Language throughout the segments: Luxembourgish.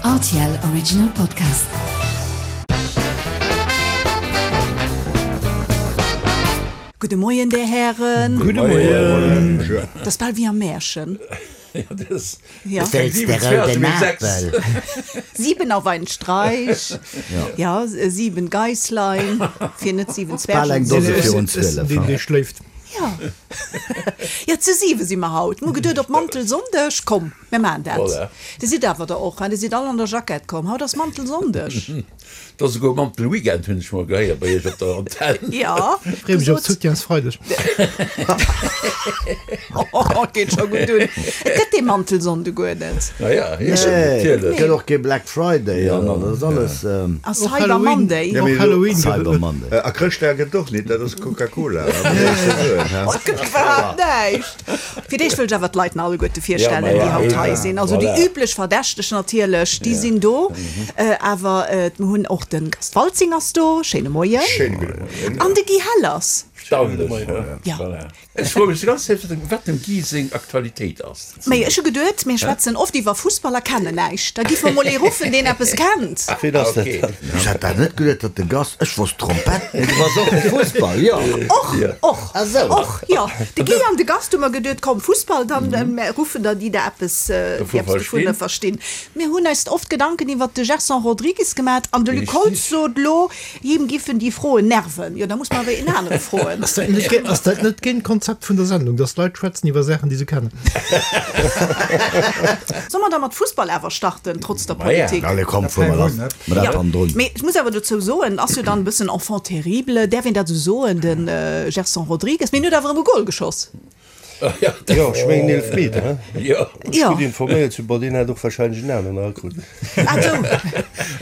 Rtl Original Podcast. Gudde Moien, Där Hären. Gudde Moien. Dat ass bal wéi am Märchen. Ja, dat ass Bestellst de rouden Apel? Sieben auf einen Streich. Ja, sieben Geisslein, fir net sieben Bal Zwergen eng ze Dose soen. virun 12. Deen, dee schléift. Ja. Ja, zu siwe si mer haut. Mir hu geduet, op Mantelsonndeg, komm, mir maachen dat. Voilà. Dir sidd awer der och, hein? Dir sidd all an der Jackett komm. Haut ass Mantelsonndeg. Et ass esouguer Mantelweekend, hunn ech mol gehéiert bei Iech op der Antenn. Ja, Freeë mech op gesot. Soutiensfreideg. Oh, geet scho gutt un. Et gëtt dee Mantelsonnde guer net. Na ja, jo, Nee, natierlech. gëtt och kee Black Friday an dat ass alles. A Och Cyber Halloween, Monday. och Halloween gëtt et Cyber net. Monday. A Chrëschtdag gëtt et och nit, dat ass Coca-Cola. Oh, et gëtt iwwerhaapt näischt. Fir d'éischt wëll ech awer d'Leit nach alleguerte virstellen, déi haut hei sinn. Also déi üblech Verdächteg natierlech, déi sinn do. Awer mir hunn och de Gast Waltzing ass do. Schéine Moien. Schéine gudde Moien. An de Guy Hellers. Erstaunlech, he? Voilà. Ech froe mech déi ganz Zäit, wat dem Guy seng Aktualitéit ass. Mee ech hu geduet, mir schwätzen oft iwwer Fussball a kennen näischt. Da giff mer mol ee ruffen, deen eppes kennt. Ween ass dat dann? Ech hat dat net geduet, datt de Gast, ech wosst Trompett, mee du bass och fir Fussball, jo? Och, och, Ah sou. och, jo. De Guy an de Gast hu mer geduet, komm, Fussball, dann ruffen der déi der eppes, déi eppes dovunner verstinn. Mir hunn eis oft Gedanken iwwert de Gerson Rodrigues gemat an de Luc Holtz sot lo, Him giffen déi Froen nerven. Jo, da muss mer awer een anere froen. Ass dat net, ass dat net géint d'Konzept vun der Sendung, dass d'Leit schwätzen iwwer Saachen, déi se kennen? Soll mer da mat Fussball awer starten, trotz der Politik? Allez, komm, fuer mer lass mat dat hannendrun. Mee ech muss awer dozou soen, ass jo dann e bëssen Enfant terrible, däerf een dat esou soen, de Gerson Rodrigues, mee en huet awer erëm e Gol geschoss. Jo, ech mengen Eelefmeter, he? Jo. Ech gutt informéiert sinn, bon, deen hätt och wahrscheinlech en aneren erakrut. Ah sou.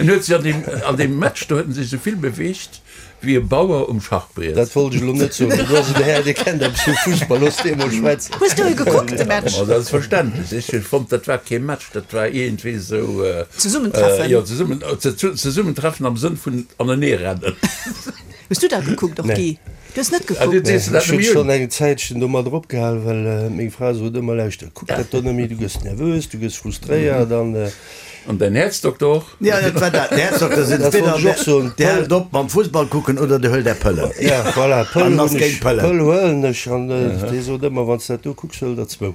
En huet sech an deem, an deem Match do huet en sech esou vill beweegt wéi e Bauer um Schachbriet. Dat wollt ech elo net soen. Do ass en Här, dee kennt eppes vu Fussball, looss dee mol schwätzen. Hues du e gekuckt, de Match? Ma selbstverständlech. Ech hu fonnt, dat war kee Match, dat war iergendwéi esou. Zesummentreffen. Jo, zesummen, Zesummentreffen am Sënn vun aneneerennen. Hues du dat gekuckt och, Guy? Du hues net Ah, du gekuckt? sees dat Ech hunn nëmme schonn un. eng Zäitchen domadder opgehal, well meng Fra sot ëmmer, Lauschter, kuck dat do net méi, du gëss nervös, du gëss frustréiert an. An däin Häerzdokter och? Ja, dat war dat. D'Häerzdokter sinn Dat wollt entweder ech och soen. Dir hält op mam Fussball kucken oder Dir huelt Är Pëllen. Ja, voilà, Pëll An ass hunn géint ech, Pëllen. Pëll huelen ech an dee sot ëmmer, wann s dat do kucks, huel der zwou.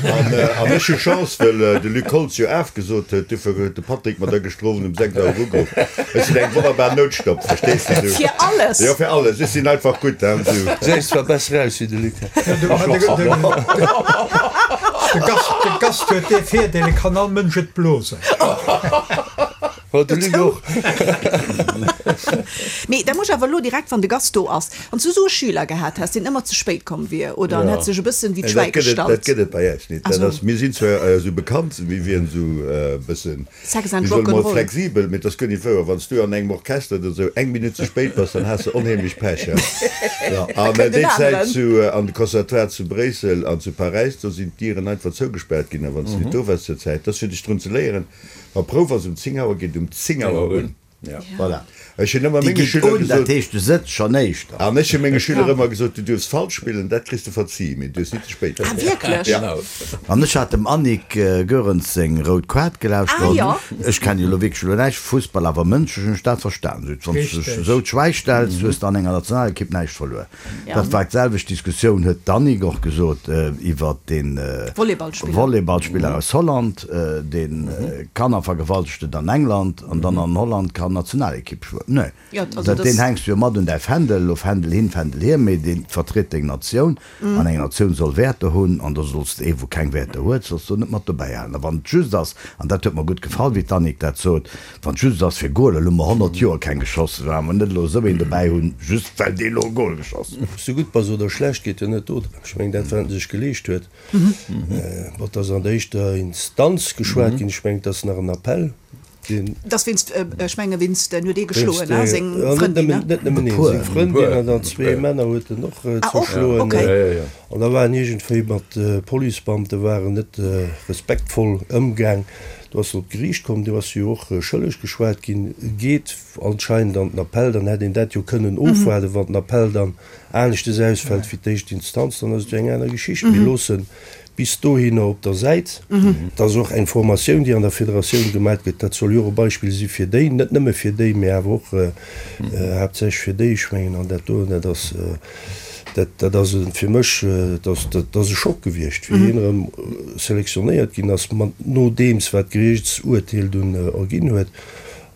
An ech hu Chance, well de Luc Holtz jo afgesot huet, dofir huet de Patrick mer da gëschter Owend um 6 Auer ugeruff. Ech sinn eng wonnerbar Noutstopp, verstees de du? Fir alles? Jo, fir alles. Ech sinn einfach gutt, hein, du. Gesäis zwar besser aus wéi de Luc. De Gast huet dee Virdeel, e kann all Mënsch et blosen. Oh, de Luc och. Mee da muss ech awer elo direkt, wann de Gast do ass, Wann s du esou e Schüler gehat häss, deen ëmmer ze spéit komm wier oder en hätt sech e bëssen wéi d'Schwäi Dat gëtt et, dat gestallt. gëtt et bei äis nit. Dat ass, mir sinn zwar esou bekannt, mir wieren esou e bëssen, Sex and wéi soll mol, Rock'n'Roll. flexibel, mee et ass guer nit wouer. Wann s du an engem Orchester oder esou eng Minutt ze spéit bass, dann has de onheemlech Pech, he. Ja. An kënnt déi en Zäit aneren. zu, an de Conservatoire zu Bréissel an zu Paräis, do sinn d'Dieren einfach zougespaart ginn, a wann s du nit do waars zur Zäit, dat ass fir dech drun ze léieren, wa Prouf ass um 10 Auer, geet um 10 Auer un. Voilà. Ech hunn ëmmer Déi menge geet Schüler un, dat gesot. heescht, du sëtz schonn éischter. An ech hu menge Schüler ëmmer gesot, du duerfs falsch spillen, dat kriss de verzie, mee du duerfs nit ze spéit Ah, kommen. wierklech? Ja. An ech hat dem Annick Goerens seng rout Kaart gelauschtert. Ah, jo. Ech kennen jo elo wierklech elo näischt vu Fussball, awer mënschlech hunn ech dat verstan. Sot, wann s du dech Richteg. esou d'Schwäi stells, hues de an enger Nationalekipp näischt verluer. Dat war d'selwecht Diskussioun, huet d'Annick och gesot, iwwert dee Volleyballspiller aus Holland, dee Kanner vergewaltegt huet an England an dann an Holland kann Nationalekipp schwëmmen. Nee, dat deen hänks du jo mat un däi Fändel, elo Fändel hin, Fändel hier, mee dee vertritt deng Natioun an eng Natioun soll Wäerter hunn an da solls de ee wou keng Wäerter huet, solls du net mat dobäi halen. A wann et just ass, an dat huet mer gutt gefall, wéi d'Annick dat sot, Wann et just ass fir Goler, elo hu mer 100 Joer keng geschoss, wa mer net elo esou een dobäi hunn, just well dee elo e Gol geschoss huet. Ob s du gutt bass oder schlecht, geet jo net dodrëm. Ech mengen, dat wat en sech geleescht huet, bon, et ass an der éischter Instanz geschwat ginn, ech mengen, et ass nach en Appell, deen. Et ass wéinst, ech menge wéinst, en huet ee geschloen, Wéinst, seng jo, net Frëndin, nëmmen, net nëmmen een, seng Frëndin an dann zwee Männer huet en och zerschloen. Ah, och, okay. An da waren iergendwéi mat Policebeamte waren net respektvoll ëmgaang. Do ass se op d'Geriicht komm, do ass se jo och schëlleg geschwat ginn, geet anscheinend an den Appell. Dann hätt een dat jo kënnen ofwaarden. Wann den Appell dann aneschtes ausfält wéi d'éischt Instanz, dann ass et jo eng aner Geschicht. Mir loossen. bis dohinner op der Säit. Et ass och eng Formatioun, déi an der Federatioun gemat gëtt. Dat soll jo och e Beispill si fir déi, net nëmme fir déi, mä awer och haaptsächlech fir déi. Ech mengen, an dat do, dat ass, dat, dat ass fir mech, dat ass, dat ass e Schock gewiescht, wéi hien erëm selektionéiert ginn ass, mat nodeems wat d'Geriichtsurteel dunn erginn huet.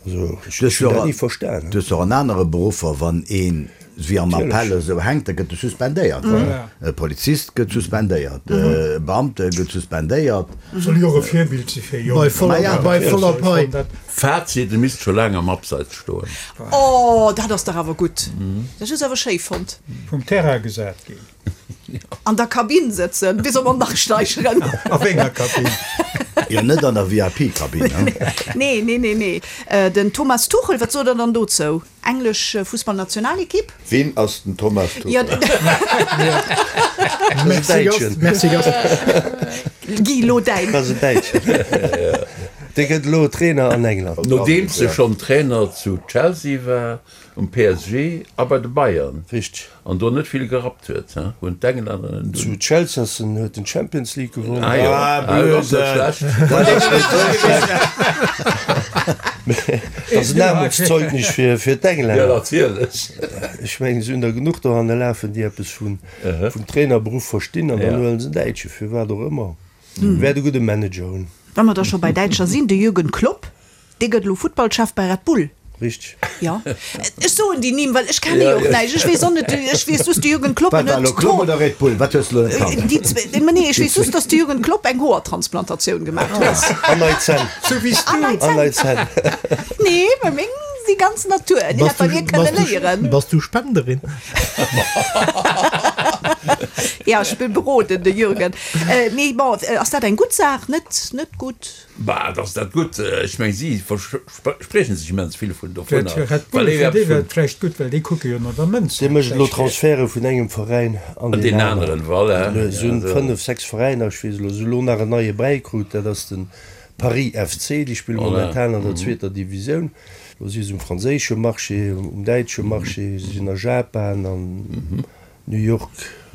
Also ech hunn dat ni verstan. Du hues och an anere Beruffer, wann een wéi am Appell esou hänkt, da gëtt e suspendéiert. E Polizist gëtt suspendéiert, e Beamte gëtt suspendéiert. Soll jo och e Virbild si fir Jonker. Bei voller Pai. Fazit, E misst scho laang am Abseits stoen. Oh, dat ass dach awer gutt. Dat hues awer schéi fonnt. Vum Terrain gesat ginn. An der Kabinn sëtzen, wéi soll mer nach steigeren? A wénger Kabinn? Jo, net an der VIP-Kabinn, ne? Nee, nee, nee, nee. Den Thomas Tuchel, wat sot der dann dozou? Englesch Fussballnationalekipp? Ween ass den Thomas Tuchel? Merci Gast, merci Gast. Guy, lo däin. Ass en Däitschen. Dee gëtt elo Trainer an England. Nodeems e schonn Trainer zu Chelsea war, um PSG a bei de Bayern. Richteg. An do net vill gerappt huet, he? Hunn d'Englänner en dunn. Zu Chelsea ass en, huet en d'Champions League gewonnen. Ah jo, ah, dat ass net schlecht. Dat ass net esou schlecht. Dat ass en Aarmutszeugnis fir, fir d'Englänner. Jo, natierlech. Ech mengen, se hunn der genuch dohanne lafen, déi eppes vun, vum Trainerberuff verstinn, an dann huelen se en Däitsche, firwat och ëmmer. Wäert e gudde Manager hunn. Wa mer da scho bei Däitscher sinn, de Jürgen Klopp, Dee gëtt elo Futtballchef bei Red Bull. Richteg. Jo. Ech soen déi Nimm, well ech kenne jo och näischt. Ech weess och net, ech weess just de Jürgen Klopp Wat war elo, Klopp oder Red Bull? Wat hues de elo net kannt? Déi zwee, ma nee, ech weess just, datt de Jürgen Klopp eng Hoertransplantatioun gemaach huet. An nei Zänn. Sou wéi s du. An nei An nei Zänn. Nee, mä meng si ganz Natur. Déi hätt bei mir kënne léieren. Bass du Spenderin? Jo, ech beroden de Jürgen. Mee bon, ass dat eng gutt Saach? Net, net gutt? Bah, et ass dat gutt. Ech meng, si verspriechen sech immens vill vun dovunner. Fir Red Bull, fir déi wär et vläicht gutt, well déi kucke jo no der Mënz. Dee mécht elo Transferte vun engem Veräin an deen aneren. Voilà. Se hunn 5, 6 Veräiner, ech weess elo, se hu elo nach en neie bäikrut, dat ass de Paris FC, déi spille momentan an der zweeter Divisioun. Elo si se um franséische Marché, um däitsche Marché, se sinn a Japan an New York,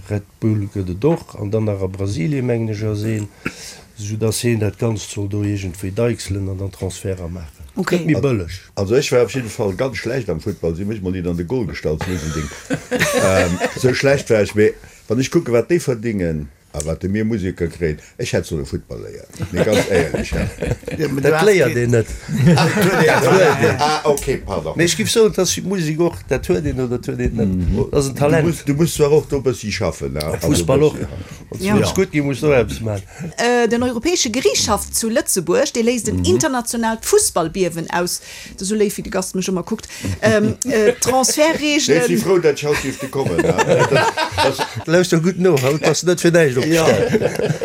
Red Bull gëtt et och, an dann nach a Brasilien, mengen ech, ass een, esou dass heen dat Ganzt soll do iergendwéi deichselen an dann Transferter maachen. Ok. Gëtt méi bëlleg. Also ech war op jidde Fall ganz schlecht am Futtball, si hu mech mol nit an de Goal gestallt, sou en Ding, sou schlecht war ech. Mee wann ech kucken, wat déi verdingen a wat de mir Museker kréien, ech hätt solle Futtball léieren, mee ganz éierlech, he. Dat léiert een net. Dat huet een. Ah ok, pardon. Mee ech giff soen, et ass wéi d'Musek och, dat huet een oder dat huet een net. Dat ass en Talent. Du muss zwar och do e bëssi schaffen, ne? Am Fussball och. Wann s du wëlls gutt ginn, muss du och eppes maachen. Den Europäesche Geriichtshaff zu Lëtzebuerg, dee léisst en internationaalt Fussballbiewen aus. Et ass esou léif, wéi de Gast mech ëmmer kuckt. D'Transfertreegelen. Ech si frou, dat ech haut dierfte kommen. Lauschter gutt no, haut bass de net fir näischt opgestan.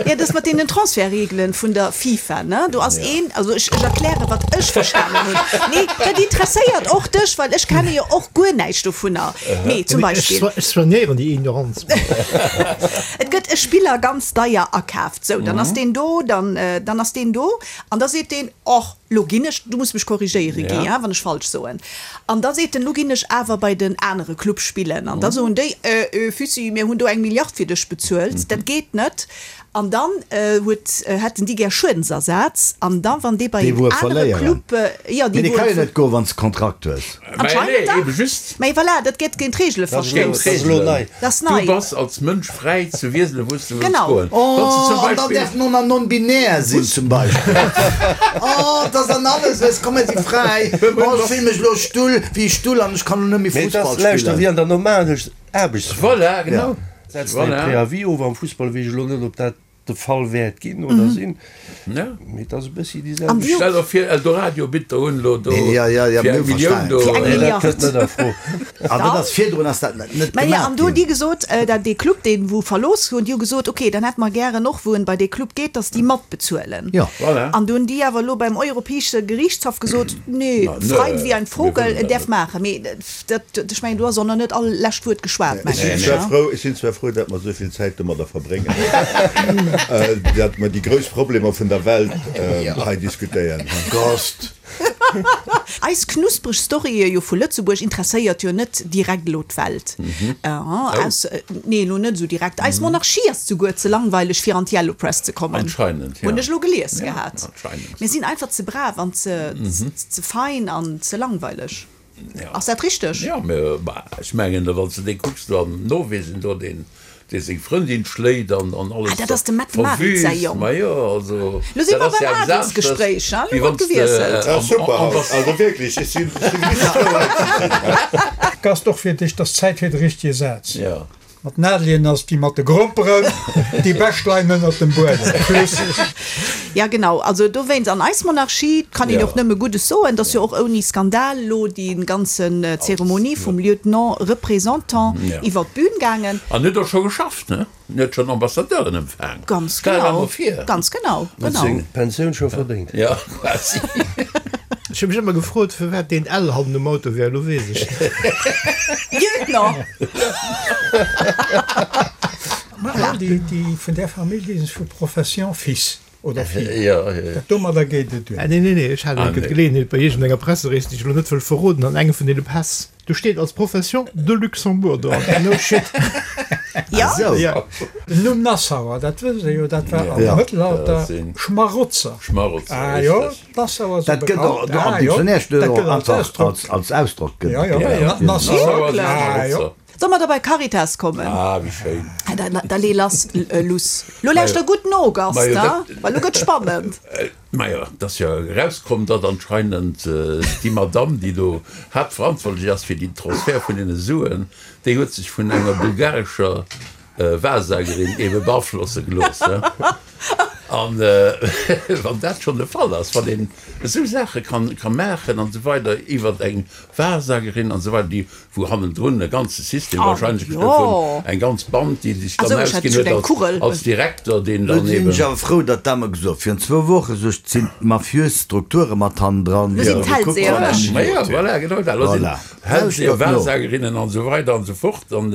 Jo, dat mat deenen Transfertreegelen vun der FIFA, ne? Do ass een, also ech erklären, wat ech verstanen hunn. Nee, dat interesséiert och dech, well ech kenne jo och guer näischt dovunner. Mee zum Beispill. Ech soignéieren déi Ignoranz. Et gëtt e Spiller ganz deier akaaft. Sou, dann ass deen do, dann, dann ass deen do an da seet deen, Och, lo ginn ech, du muss mech korrigéiere Guy, hein, wann ech falsch soen, an da seet en, lo ginn ech awer bei den anere Club spillen. An da soen déi, Äh, äh, Füssi, mir hunn do eng Milliard fir dech bezuelt, dat geet net. An dann huet, hätten déi gär Schuedensersaz. An da wann dee bei Déi en wou e anere verléieren. Club, jo, Mee déi dee wou ka e jo net goen, wann s de Kontrakt hues. Anscheinend Mä nee, ebe dach. just. Mä voilà, dat gëtt géint d'Reegele Dat ass elo, verstouss. dat ass elo nei. Dat ass Du nei. bass als Mënsch fräi ze wieselen, wou s de wëlls Genau. goen. Wann s de zum Oh, an dann Beispill. däerf en och nach non-binär sinn, zum Beispill. Oh, et ass an alles, weess, komm, mir si fräi. Oh, ech fill mech elo Stull, wéi e Stull an ech kann elo net méi Mee et ass, Fussball lauschter, spillen. wéi an der normaler Aarbechtswelt. Voilà, genau. Setz däi Voilà. Préavis of. Am Fussball weess ech elo net, ob dat de Fall wäert ginn oder sinn, mee et ass e bëssi déi selwecht. Stell der vir Eldoradio bitt der un elo do Ja, ja, ja, fir mir eng Millioun verstanen. do. Fir eng Nee, dat Milliard. kënnt net a Fro. An dat ass virdrun ass dat net Mä jo, gemaach an do hunn ginn. déi gesot, dat dee Club, deen wou verlooss hunn, déi hu gesot, okay, dann hätte mer gären och, wou en bei dee Club geet, datt déi matbezuelen. Jo. Voilà. An do hunn déi awer elo beim Europäesche Geriichtshaff gesot, nee, Na, frei nee, wéi ein mir Vogel, wëllen en dat däerf net. maachen. Mee dat, ech mengen, do ass och nach net all lescht Wuert geschwat, Ech mengen sinn ech, zwar ne? frou, ech sinn zwar frou, datt mer esou vill Zäit domadder verbréngen, datt mer déi grouss Problemer vun der Welt hei diskutéieren. Gast. Eis knuspreg Storye jo vu Lëtzebuerg interesséiert jo net direkt elo d'Welt. Aus, nee, elo net esou direkt. Eis Monarchie ass souguer ze langweileg fir an d'Yellow Press ze kommen. Anscheinend, ja. Hunn ech elo gelies gehat. Anscheinend. Mir sinn einfach ze brav an ze, ze fein an ze langweileg. Ja. Ass dat richteg? Ja, mä ech mengen, wann s de dee kucks do an Norwegen do, deen, dee seng Frëndin schléit an, an alles Ah, dat ass dem Mette-Marit säi verwüst, Jong. ma jo, also Lo si dat mer ass beim ja eppes aneschters, Adelsgespréich, ha? wéi Lo wann gëtt s de gewiesselt. Ah, super haut, also wierklech, ech sinn, ech sinn richteg frou hei ze sinn. Gast, och fir dech, 't ass Zäit fir de richtege Saz. Ja. Mat Nadelien ass déi mat de Gromperen déi bescht leien ënnert dem Buedem. Plus. Ja genau, also dowéinst an eis Monarchie kann een och nëmme Guddes soen, dass jo och ouni Skandal elo déi ganzen Zeremonie vum Lieutenant Représentant iwwer d'Bühn gaangen. An huet och scho geschafft, ne? En huet schonn Ambassadeuren empfaang. Ganz Stell der genau, mol vir. ganz genau, Huet genau. seng Pensioun scho verdéngt. Ja, quasi. Ech hu mech ëmmer gefrot, firwat deen L hannen um Auto wär. Elo weess ech et. Lieutenant! Ma all déi, déi vun där Famill, déi sinn vu Profession Fils oder Fille. Ja, ja. Dat domadder geet et duer. Nee, nee, nee, ech hat Ah, eng nee. Geleeënheet bei iergendenger Presserees, déi ech elo net wëll verroden, an engem vun deene Päss, do steet als Profession de Luxembourg dran. No shit. Ja? Esou. Ja. Den Numm Nassauer, dat wësst Der jo, dat war am Ja. Mëttelalter Dat sinn. Schmarotzer. Schmarotzer, Ah jo, richteg. d'Nassauer si Dat gëtt och bekannt. do am Ah jo, Dictionnaire steet dat och gëtt als einfach Ausdrock. als, als Ausdrock gëtt Ja, ja, et. ja, Nassauer. Nassauer sinn Ah jo. Schmarotzer. Soll mer da bei Caritas kommen? Ah, wéi schéin. Da, da lee lass, Luss. Lo lauschter gutt no, Gast, Majo, ha? dat. Well lo gëtt spannend. Majo, et ass jo erauskomm, datt anscheinend déi Madamm, déi do haaptverantwortlech ass fir den Transfert vun deene Suen, déi huet sech vun enger bulgarescher Wahrsagerin ebe beaflosse gelooss. An wann dat schonn de Fall ass, wann een esou Saache ka maachen an esou weider iwwert eng Wahrsagerin an esou weider, déi wou hannendrun e ganze System wahrscheinlech gestëmmt hunn, eng ganz Band, déi sech dann ausginn huet als Direkter, deen Lo dann sinn eben. ech awer frou, datt dat mer gesot. Virun zwou Woche sou ech, sinn d'mafiös Strukture mat hannendran. Lo sinn d'Hellseher. Ma jo, voilà, genau dat. Lo sinn Voilà. Hellseher, Lauschtert no. Wahrsagerinnen an esou weider an esou fort. An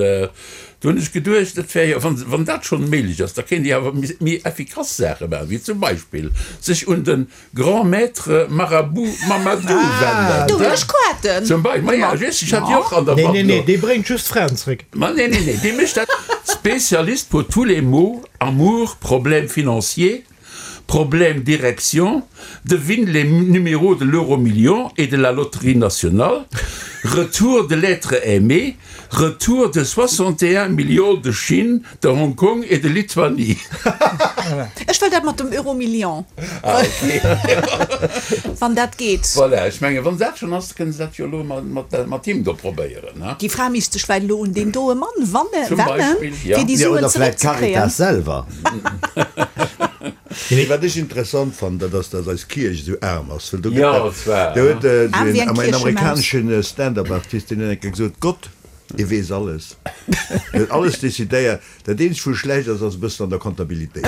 do hunn ech geduecht, et wär jo, wann, wann dat schonn méiglech ass, da kéint ee awer méi effikass Saache maachen, wéi zum Beispill sech un de Grand Maître Marabout Mamadou wenden. Do hunn ech Koarten. Zum Beispill, ma ja, just, ech hat déi och an der Nee, Mapp nee, nee, do. dee bréngt just d'Fraen zréck. Ma nee, nee, nee, dee mécht dat. Spécialiste pour tous les maux, amour, problèmes financiers, problèmes d'érection, devine les numéros de l'euromillion et de la loterie nationale, retour de l'être aimé, Retour de 61 millions de Chine, de Hong Kong et de Lituanie. Ech wëll dat mat dem Euromillion. Ah, ok. Wann dat geet. Voilà, ech mengen, wann dat schonn ass, kënne se dat jo elo mat him do probéieren, ne? Déi Fra misst sech vläicht elo un deen doe Mann wannen, Zum Beispill, ja. fir déi Jo, Suen oder vläicht zeréckzekréien. d'Caritas selwer. Nee, wat ech interessant fannen, dat ass, datt eis Kierch esou aarm ass, well do gëtt Jo, dat, zwar, do huet Aarm wéi den eng en Kierchemaus. amerikaneschen Stand-up-Artist, deen huet eng Kéier gesot, Gott, hie weess alles, hien huet alles decidéiert, dat eenzegt wou e schlecht ass, ass e bëssen an der Comptabilitéit,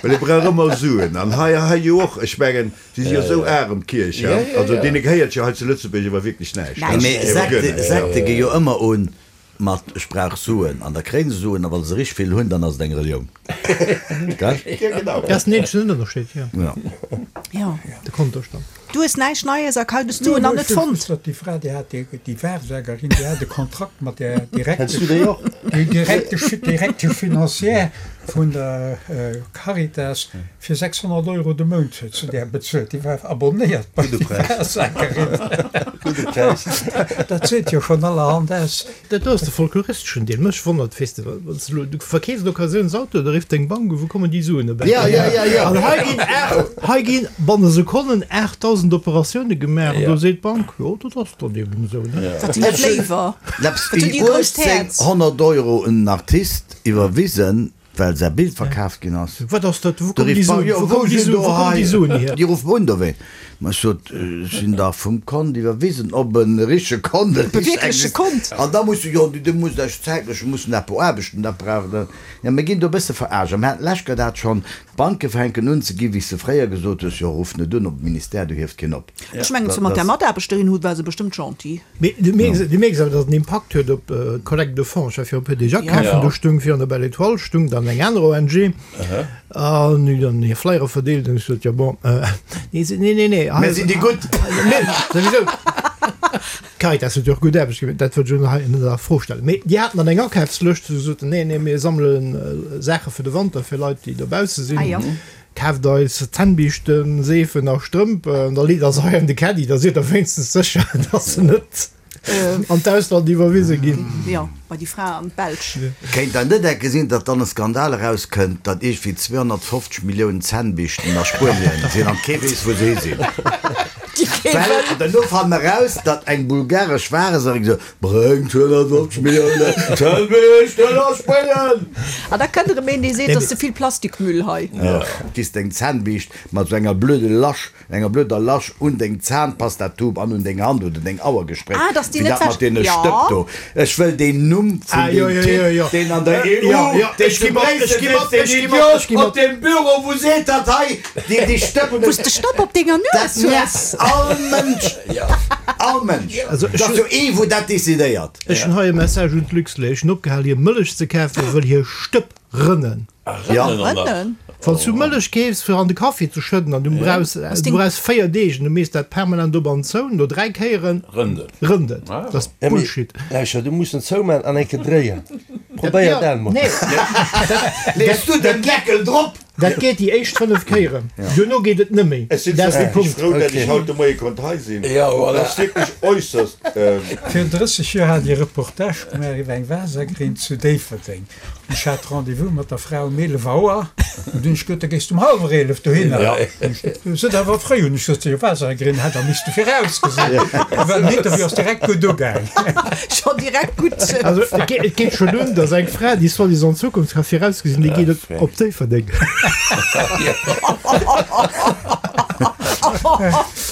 well e brauch ëmmer Suen an hei, hei jo och, ech mengen, si si jo esou aarm, d'Kierch, ja, also deene gehéiert jo hei zu Lëtzebuerg awer wierklech näischt, Nee, mee ewer guer Sekte, näischt. Sekte gi jo ëmmer un Mat ech brauch Suen an da kréien se Suen a wa se richteg vill hunn, dann ass et eng Relioun. Gell? Ja, genau. Dat ass den eenzegen Ënnerscheed, jo. Ja. Jo. De Kontostand. Du hues näischt Neies a Kalt, du en nach net fonnt. Déi Fra, déi hat, déi Wahrsagerin, déi hat e Kontrakt mat där Kenns du déi och? Direktesch, Directrice financière vun der Caritas fir 600 Euro de Mount huet se där bezuelt. Déi war abonnéiert bei Gudde Präis. Wahrsagerin. Gudde Präis. Dat seet jo schonn allerhand aus. Dat do ass de folkloristeschen Deel. Mech wonnert, weess de, wann s de elo, du verkeefs en Occasiounsauto, da rifft deng Bank u, wou kommen déi Suen erbäi? Ja, ja, ja, ja. An hei ginn 8, hei ginn banne Sekonnen 8.000 Operatioune gemaach an do seet d'Bank, jo, dat ass dann eben esou, ne? Wat sinn dat léiwer? Läps Wat hunn wéi déi e grousst Häerz? 1800 Euro un en Artist iwwerwisen, Well säi Bild verkaaft ginn ass. Wat ass dat? Wou Do kommen déi rifft Suen, d'Bank, jo, wou wou kommen déi sinn Suen, do wou kommen hei? déi Suen hier? Déi ruffe un dowéint. Ma ech sot, ech sinn dach vum Kont iwwerwisen, op e richtege Kont, e Op e wierkleche Kont. An da muss, jo, du musst Iech zäitlech, mir mussen dat beaarbechten, dat brauch dann, jo, mir ginn do e bësse verarscht. A mir haten d'lescht Kéier dat schonn, d'Banke fänken un ze ginn, wéi s de fréier gesot hues, jo, ruff net un op de Ministère, do hieft keen op. Ech mengen, zu mat där Mataarbechterin hu war se bestëmmt gentil. Mee du mierks, du mierks awer, datt en Impakt huet op d'Collecte de fonds. Ech war viru e puer Deeg akafen, do stung virun der Belle Etoile stung dann. an eng aner ONG. An hunn dann hir Flyere verdeelt an ech sot, jo bon, nee, nee, nee, nee. Mir sinn déi Gutt! Mir souwisou. D'Caritas huet jo och gutt Aarbecht gemaach, dat wëllt ech elo hei net a Fro stellen. Mee déi haten dann eng Akafslëscht, wou se soten, nee, nee, mir sammele Saache fir de Wanter fir Leit, déi dobausse sinn. Kaaft eis Zännbiischten, Seefen a Strëmp an da leet der se hei an de Caddy, da sidd der wéinstens sécher, dass se net an d'Ausland iwwerwise ginn. Jo, bei déi Fra an d'Belsch. Kéint der net enke sinn, datt dann e Skandal erauskënnt, datt iergendwéi 250 Milliounen Zännbiischten a Spuenien sinn an kee weess, wou se hi sinn? Well, an duerno fannen mer eraus, datt eng bulgaresch Wareserin gesot huet, Bréngt 250 Milliounen Zännbiischten a Spuenien! An da kënnt erëm een, dee seet, et ass ze vill Plastikmüll hei. Giss deng Zännbiischt mat esou enger blöde Lasch Enger blöder Lasch un deng Zahnpastatube an un deng Hand oder deng Auer gespréckt, Ah, dass déi wéi net dat mat wäsch. deene Ja. Stëpp do. Ech wëll deen Numm vun Ah, jo, deem jo, Typ, jo, jo. deen an der EU, Jo, jo, deen ech zu gi mat, ech Bréissel gi mat, sëtzt, deen ech gi mat, Idiot ech gi op mat. deem Büro, wou seet dat hei, déi déi Stëpp un Wou s de Stëpp op denger Dat Nues hues. nervt all Mënsch, all Mënsch. Also, ech Dat ass jo ee, wou dat decidéiert. Ech hunn hei e Message un d'Luxlait. Ech hunn opgehal hir Mëllech ze kafen, wëll hir Stëpp rënnen. Ja. Rënnen? Wann s du Mëllech keefs fir an de Kaffi ze schëdden an du brauchs du brauchs 4 Deeg an du mees dat permanent op an zou, no 3 Kéieren rënnt et. Dat ass Bullshit. Lauschter, du muss en zoumaan an eng Kéier dréien. Probéier dat emol. Nee, Lees du den Deckel drop? Dat geet déi éischt 5 Kéieren, duerno geet et net méi. Ech sinn Dat ass de wierklech Punkt. frou, dat ech haut de Moie konnt hei sinn. Dat ass wierklech äusserst. Virun 30 Joer hat ech e Reportage gemaach iwwer eng Waassergrinn zu Déifferdeng. Ech hat Rendez-vous mat der Fra um 11 Auer. An dunn hunn ech gesot, da géis du um hallwer 11 dohinner. Se sot, awer fréi. Hunn ech gesot, jo, Waassergrinn hätt der misste virausgesinn. A well den Interview ass direkt gutt ugaang. Scho direkt gutt. Also et geet schonn un, datt eng Fra, déi soi-disant d'Zukunft ka virausgesinn, déi geet op Déifferdeng.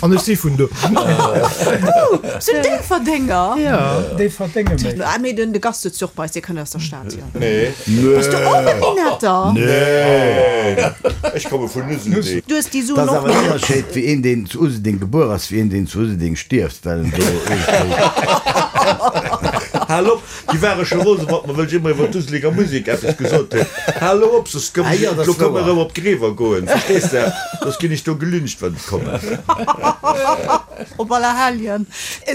An ech si vun do. Oh, sinn Déifferdenger? Ja. Déifferdenger méi. Ah, mee den de Gast sëtzt jo och bei eis, dee kënnt aus der Stad, jo. Nee. Bass du och e Minetter? Nee. Ech komme vun Useldeng. Du hues déi Dat Suen ass och awer en net. Ënnerscheed, wéi een, deen zu Useldeng gebuer ass, wéi een, deen zu Useldeng stierft, well en do iergendwéi. Hal op! Déi ware scho rose mat mer, wëll ech ëmmer iwwer d'Uselinger Musek eppes gesot hunn. Hal elo op, soss komm ech, elo komm erëm op d'Greewer goen, verstees de? Soss ginn ech do gelyncht, wann ech kommen. Op Allerhelljen.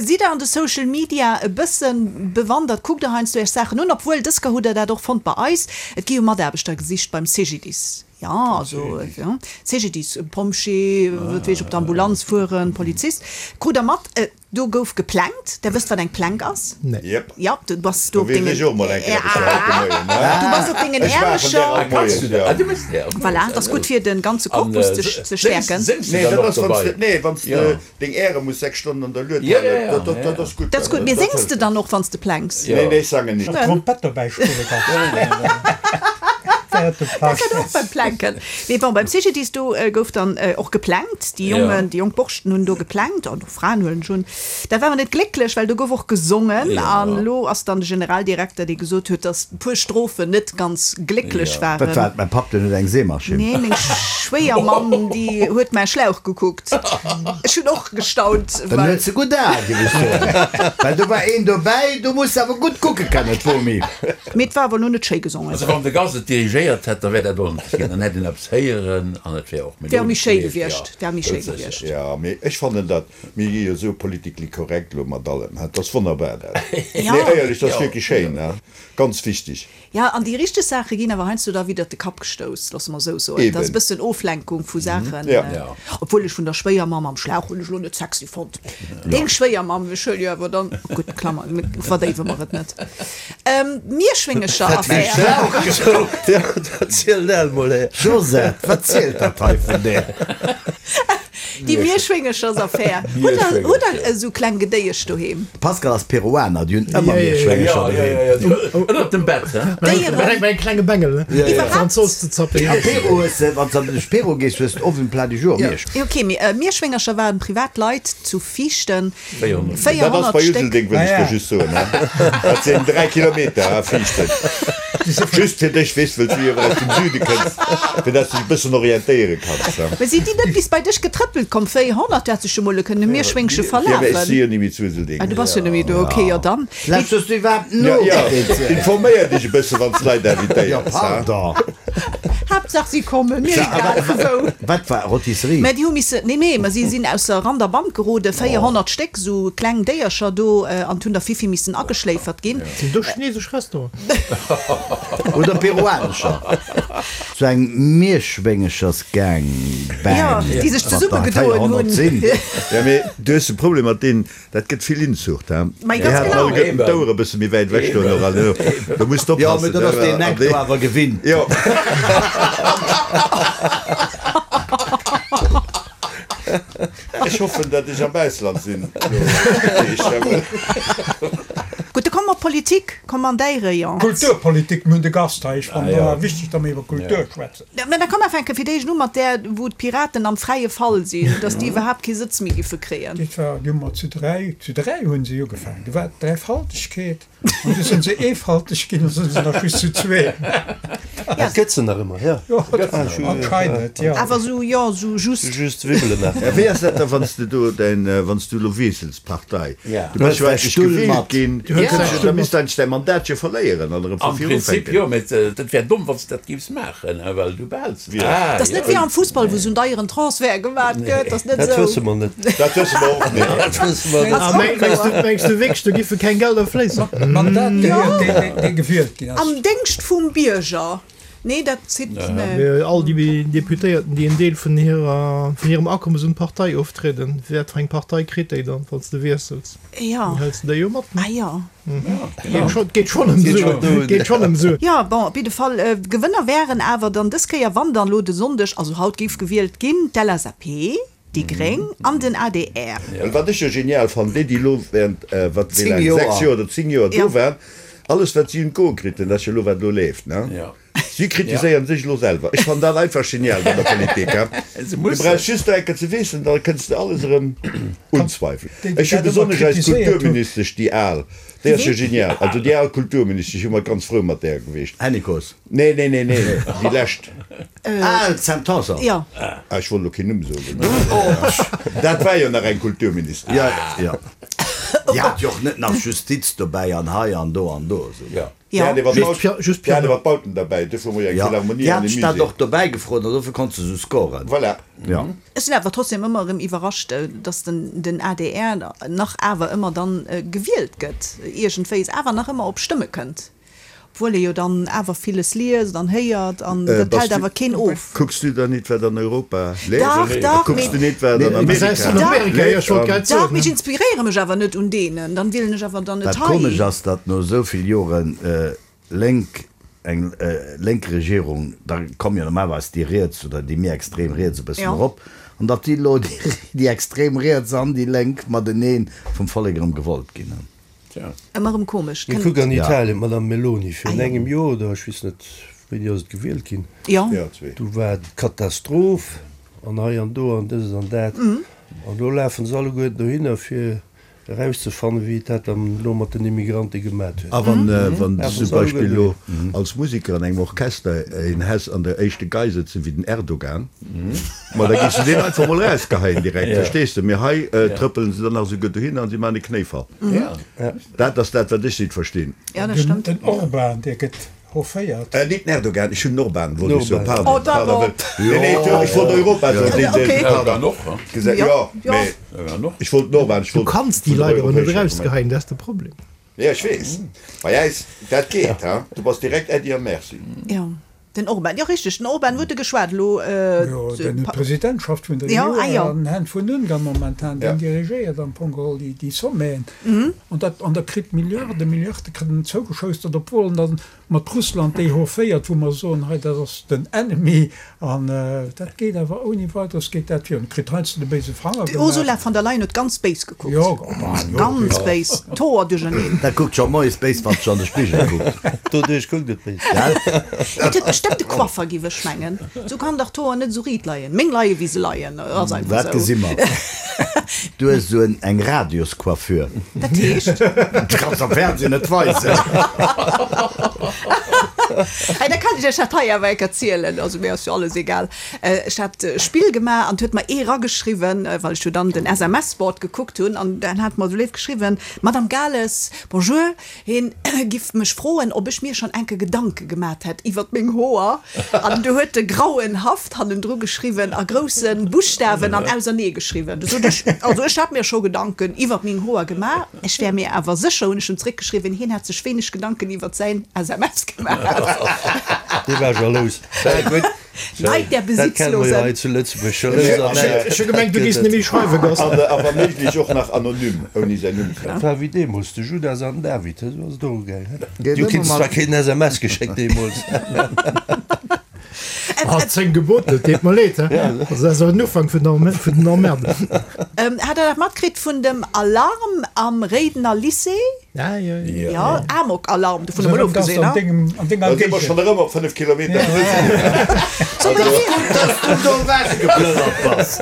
Sidd der an de Social Media e bësse bewandert? Kuckt der heiansdo iech Saachen un? Obwuel, dës Kéier hutt der dat och fonnt bei eis, et gi jo Mataarbechter gesicht beim CGDIS. Jo, also CGDIS, Pompjee, wat weess ech, op der Ambulanz fueren, Polizist. Krut der mat? Do gouf geplankt. Der wësst wat eng Plank ass? Nee. Jep. Ja, du bass do Do op weess dengen ech och mol eng Kéier eppes fir haut de Moien, ne? Du bass op dengen Ech maachen där Äermecher. all Moies, ja. Ah, du méchs där all Moies. Voilà, dat ass gutt fir den ganze Korpus ze ze stäerken. Séngs du Nee, dann dat och ass, wann s de, dobei? nee, wann s de Ja. deng Äre muss 6 Stonnen an der Lued Ja, halen, ja, ja, dat, dat, ja, dat ja. ass gutt. Dat ass gutt. Mee Dat séngs de hëlleft. dann och, wann s de planks? Nee, nee, ech sangen nit. Trompett dobäi spille kanns. Während dem Dat Planken. kann och beim Planken. Mee bon, beim CGDIS do gouf dann och geplankt. Déi Jongen, déi jonk Borschten hunn do geplankt an och Fraen huelen ech un. Dat war awer net glécklech, well do gouf och gesongen. An elo ass dann de Generaldirekter, dee gesot huet, datt e puer Strophen net ganz glécklech waren. Wat war et? Mäi Papp, deen huet eng Seemaschinn. Nee, meng Schwéiermamm, déi huet mäi Schlauch gekuckt. Ech hunn och gestaunt, Dann well. huet se gutt Ae, géif ech soen. Well do war een dobäi, do muss de awer gutt kucke kennen, d'Bomi. Mee et war awer elo net schéi gesongen. Also wann de Gast et dirigéiert hätt, da wär dat ordentlech ginn. Dann hätt een eppes héieren an et wär och Wär méi melodesch schéi gewiescht. gewiescht. Wär méi schéi gewiescht. Jo, mee ech fannen dat, mir gi jo esou politically correct elo mat allem, dat ass wonnerbar dat. Ja. Nee, éierlech, dat ass wierklech schéin, ganz wichteg. Ja, an déi richteg Saache ginn awer heiansdo da widder de Kapp gestouss, loosse mer esou soen. Dat ass e Eben. bëssen Oflenkung vu Saachen. Ja. Obwuel ech vun der Schwéiermamm am Schlauch hunn ech elo net sexy fonnt. Deng Schwéiermamm, ech huele jo awer dann, gutt, Klammer, verdéiwe mer et net. Mierschwéngecher-Affär. Erziel dat mol, hä? Josette, wat zielt dat hei vun där? Déi Mierschwéngechersaffär. Hutt der, hutt der esou kleng Gedéiesch doheem? Pascal ass Peruaner, déi hunn ëmmer Mierschwéngecher doheem. Ënnert dem Bett, hä? Déieren. Mäin klenge Bengel, ne? Iwwerhaapt. An d'Zooss ze zappen. A Peru hues de, wann s de duerch Peru gees, hues de oft um Plat du jour Mierschwéngecher. Ok, mee Mierschwéngercher waren privat Leit zu Viichten. 400. Dat ass 400 bei Stéck. Useldeng, wëll ech der just soen. Dat sinn 3 Kilometer, ha, Viichten. Just fir dech, weess, wëll s du jo aus dem Süde kënns, fir dass du dech e bëssen orientéiere kanns. Mee sinn déi net bis bei dech getrëppelt? Duebel komm, 400, du hätt sech jo mol kënne Mierschwéngche verlafen. Jo, mä ech si jo ni méi zu Useldeng. Ah, du bass jo net méi do, ok, jo dann. Lauschters du iwwerhaapt no? Jo, informéier dech e bësse wann s Leit invitéiers, Jo, ha? pardon. Haaptsaach si kommen, mir egal vu wou. Wat war, Rôtisserie? Mä déi hu misse, nee, nee, mä si sinn ausser Rand a Band geroden, 400 Stéck esou kleng Déiercher do, an hunn der vill, vill missen ageschléifert ginn. Sinn do chinesesch Restauranten? Oder peruanescher. Sou eng Mierschwéngechersgang Bang, Jo, déi sech wat der zesummegedoen 400 hunn. sinn. Jo, mee du hues e Problem mat deenen, dat gëtt vill Inzucht, he? Mei, Déi ganz haten genau. alleguerten d'Ouer e bësse méi wäit ewech do nach an do muss de Jo, mee oppassen, dat ass deen Eck do awer gewinnt. Jo. Ech hoffen, datt ech am Ausland sinn. Gutt, da komme mer op d'Politik, komme mer an däi Rayon. Kulturpolitik, mir hunn de Gast hei, ech fannen et awer wichteg, datt mir iwwer Kultur schwätzen. Mä da komm mer fänke fir d'éischt u mat där, wou d'Piraten am fräie Fall sinn, datt déi iwwerhaapt kee Sëtz méi giffe kréien. Dat war, déi hu mer zu 3, zu 3 hu se ugefaangen, do war d'Dräifaltegkeet. An du sinn se eefalteg ginn, an sinn se nach just zu zwee. Et gëtt se nach ëmmer, jo. Anscheinend, jo. Awer sou, jo, sou just. Just wibbelen nach. Wéi ass dat da, wann s de do däin, wann s du elo wiessels d'Partei? Du bass jo eigentlech gewielt ginn, da misst eigentlech däi Mandat jo verléieren an erëm vu Am vir Prinzip ufänken. jo, mä dat wär domm, wann s de dat géifs maachen, well du behäls Et ass net wéi am Fussball, wou esou en deieren Transfert gemat gëtt. Ass net Dat esou. wësse mer net. Dat wësse mer och net. Dat wësse mer net. A mengs du, mengs du wierklech, do giffe keng Gelder fléissen? Mandat gehéiert deen, dee gewielt ginn ass. Am Déngscht vum Bierger. Nee, dat zitt net. Mee all déi Deputéierten, déi en Deel vun hirer, vun hirem Akommes un d'Partei oftrieden, wat fir eng Partei kritt déi dann, wann s de wiessels? Jo. Dann hëls de déi jo mat, ne? Ah jo. Geet schonn ëm Suen. Geet schonn ëm Suen. Jo, bon, op jidde Fall, Gewënner wären awer dann dës Kéier, wann dann elo de Sonndeg, also haut, géif gewielt ginn, d'LSAP, déi Gréng an den adr. Well wat ech jo genial fannen, déi, déi elo während, wat, wéi Zéng laang, Joer. 6 Joer oder 10 Joer do waren, alles wat si un d'Goe kritt hunn, dat ass jo elo wat elo leeft, ne? Si kritiséieren sech elo selwer. Ech fannen dat einfach genial bei der Politik. Du brauchs just eng Kéier ze wiesselen, da kënns de alles erëm unzweifelen. Ech hu besonnesch eis Kulturministesch, déi al, déi ass jo genial. Also déi al Kulturministesch, ech hu mer ganz frou mat där gewiescht. Hennicot? Nee, nee, nee, nee, déi lescht. Ah, d'Sam Tanson. Jo. Ah, ech wollt elo keen Numm soen. Dat war jo nach eng Kulturministesch. Jo, jo. Déi hat jo och net nach Justiz dobäi an hei an do an do. Jo. Déi hat ewer d'Bauten derbäi, duerfir hu mer jo eng Philharmonie an e Déi hat Musée. och dobäi gefrot an dofir konnt se esou scoren. Voilà. Jo. Ech sinn awer trotzdem ëmmer erëm iwwerrascht, datt den adr nach awer ëmmer dann gewielt gëtt, iergendwéis awer nach ëmmer op Stëmme kënnt, obwuel ee jo dann awer villes liest an héiert an dat hält awer keen of. Kucks du dann nit wat an Europa leeft? Dach, dach, Kucks du nit wat an Amerika leeft? Dach, mee ech inspiréiere mech awer net un deenen, dann wielen ech awer dann net Wat hei. komesch ass, datt no esou vill Joren lénk, eng lénk Regierung, da komm jo normalerweis déi riets oder déi méi extrem riets e bëssen erop, an datt déi elo déi extrem riets an déi lénk matenee vum Vollek erëm gewollt ginn. Ëmmer erëm komesch. Mee kuck an Italien, d'Madame Meloni, virun engem Joer oder ech weess net wéini ass et gewielt ginn, do war d'Katastroph an hei an do an dëst an dat an elo lafen se alleguerten dohinner fir erauszefannen wéi et dat dann elo mat den Immigrante gemat huet. A wann wann du zum Beispill elo als Musiker an engem Orchester een häss an der éischte Gei sëtzen wéi den Erdogan, ma da géifs du deen einfach mol erausgeheien direkt, verstees de? Mee hei trëppelen se dann nach esouguer dohinner an si maachen e Knéifall. Dat ass dat wat ech nit verstinn. Den Orban dee gëtt hofféiert. Nit den Erdogan, ech hunn den Orban wollt ech soen, pardon, pardon, wëll, nee, nee, ech wollt Europa soen, deen, deen, pardon, gesä, jo, mee ech wollt den Orban, ech Du wollt kanns déi vun der Leit awer net europäescher erausgeheien, dat ass de Problem. Jo, ech weess, bei äis, dat geet, ha, du bass direkt Äddi a Merci. Jo, den Orban, jo richteg, den Orban huet e geschwat elo. Jo, den huet d'Presidentschaft vun der EU an den Hänn vun Ungarn momentan, deen dirigéiert am Fong geholl déi Sommeten. An dat, an da kritt Milliarde, Milliarde kritt en zougeschoustert, obwuel en dann mat Russland déi hofféiert, wou mer soen, hei dat ass den Enemy, an dat geet awer ouni Weideres geet dat virun. Kritt heiansdo de béise Fanger gemaach. D'Ursula gemaach. von der Leyen huet ganz béis gekuckt. Jo, bah, jo, Ganz jo. béis, d'Hoer duercherneen. Dat kuckt scho moies béis, wann se an de Spigel kuckt. Doduerch kuckt et béis. Gell? Et huet bestëmmt de Coiffer, giff ech mengen. Sou kann dach d'Hoer net esou riit leien. Meng leie wéi se leien, ass einfach Dat esou. gesi mer. Du hues esou eng Radioscoiffure. Dat heescht? Du kanns am Fernsehen net weisen. Hei, da kann ech iech dat hei awer enk erzielen, also mir ass jo alles egal. Ech hat e Spill gemaach an 't huet mer ee rageschriwwen, well ech jo dann den SMS-Board gekuckt hunn, an dann hat mer esou léif geschriwwen, Madame Gales, bonjour, Hien giff mech froen, ob ech mir schon enke Gedanke gemat hätt iwwert meng Hoer. An du huet e grauenhaft hannendru geschriwwen, a grousse Buschtawen an ausernee geschriwwen. Du sot ech, also ech hätt mir scho Gedanken iwwert meng Hoer gemaach, ech wär mir awer sécher, hunn ech em zréckgeschriwwen, hien hätt sech wéineg Gedanken iwwert säin SMS gemaach. Dee war jalous. Neid der Dat kenne mer jo Besitzlosen. hei zu Lëtzebuerg. Jalous an Näid. Ech hu gemengt, du gees nemmi schreiwe, Gast. A wa méiglech och nach anonym, ouni säin Numm ze Dat war wéi deemools de Judas an den David, esou ass et och ugaangen. Déi hu keen zwar keen SMS geschéckt deemools. Ah, 10 Gebote, et deet mer leed, he. Also dat ass awer den Ufank vun der vun den Emmerden. Hat der dat matkritt vun dem Alarm am Réidener Lycée? Ja, ja, ja. Ja, Amok-Alarm, dovun emol ofgesinn, An dengem, an denger Da si mer Géigend. schonn erëm op 5 Kilometer. Soll mer Gutt, dass du do ewechgeplënnert bass.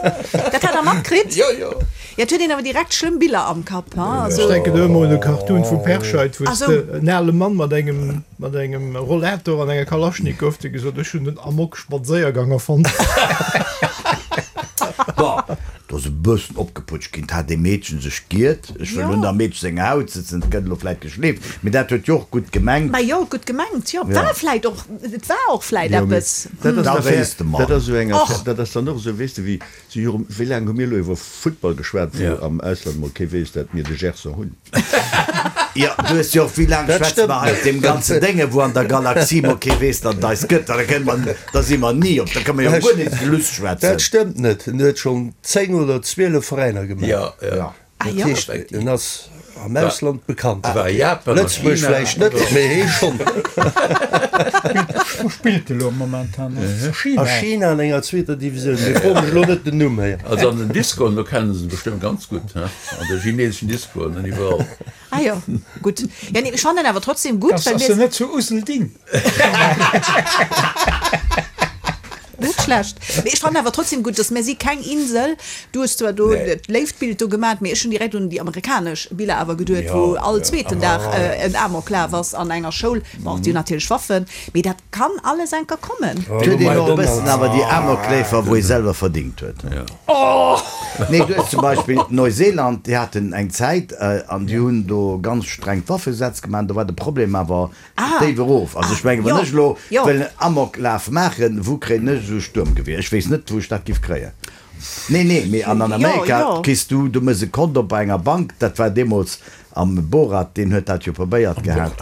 Dat hat der matkritt? Jo, jo. Ja, et huet een awer direkt schlëmm Biller am Kapp, ha, Ech also. denken do ëmmer un e Cartoon vum Perscheid, wou Ah s sou. de en ale Mann mat engem, mat engem Rollator an enger Kalaschnikow, dee gesot, ech hunn den Amok-Spadséiergang erfonnt. Bon, do ass e bëssen opgeputscht ginn. 't hat ee Meedchen sech giert. Ech wëll un der Meedche senger Haut sëtzen. 't gëtt elo vläit geschleeft, mee dat huet jo och gutt gemengt. Mä jo, gutt gemengt, jo. War vläit och, et war och vläit Jo, mee eppes. dat ass Da en Affaire, wéisst de mer. dat ass esou eng Och. Affaire, dat ass dann och esou, weess de, wéi si jo, wéi laang hu mir elo iwwer Futtball geschwat, wou am Ausland mol kee weess, dat mir de Gerson hunn. Jo, du hues jo och, wéi laang Dat schwätze stëmmt mer hei op net. deem ganzen Dénge, wou an der Galaxie mol kee weess, datt et eis gëtt. Da kënne mer, da si mer ni op, da kënne mer jo guer net Geluss schwätzen. Dat stëmmt net. En huet schonn 10 oder 12 Veräiner gemaach. Jo, jo. Ah Dat jo. heescht, en ass am Ausland bekannt. War Japan a Lëtzebuerg China. vläicht net, mee hee schonn. Wou spillt e lo momentan? A China? A China an enger zweeter Divisioun. Mee fro mech elo net den Numm héi. Also an den Discoen, do kennen se en bestëmmt ganz gutt, he? An de chineseschen Discoen an iwwerall. Ah jo, gutt. Ja, nee, ech fannen awer trotzdem gutt, Ass well ass mir. en net zu Uselding? Net schlecht. Mee ech fannen awer trotzdem gutt, dass mir si keng Insel. Du hues zwar do Nee. dat léift Bild do gemat, mee ech hunn direkt un déi amerikanesch Biller awer geduet, wou Ja, all ja. zweeten Dag en Amoklaf ass an enger Schoul. Bon, déi hunn natierlech Waffen, mee dat kann alles enker kommen. Et huet een och e bëssen awer déi Amokläfer, wou ee selwer verdingt huet. Nee, du hues zum Beispill Neuseeland, déi haten eng Zäit an déi hunn do ganz streng d'Waffegesetz gemaach an do war de Problem awer déif erof. Also ech mengen, wann ech elo wëll en Amoklaf maachen, wou kréien ech esou e Stuermgewier? Ech weess net, wou ech dat giff kréien. Nee, nee, mee an an Amerika kriss du, du mëss e Kont op bei enger Bank, dat war deemools am Borat, deen huet dat jo probéiert gehat,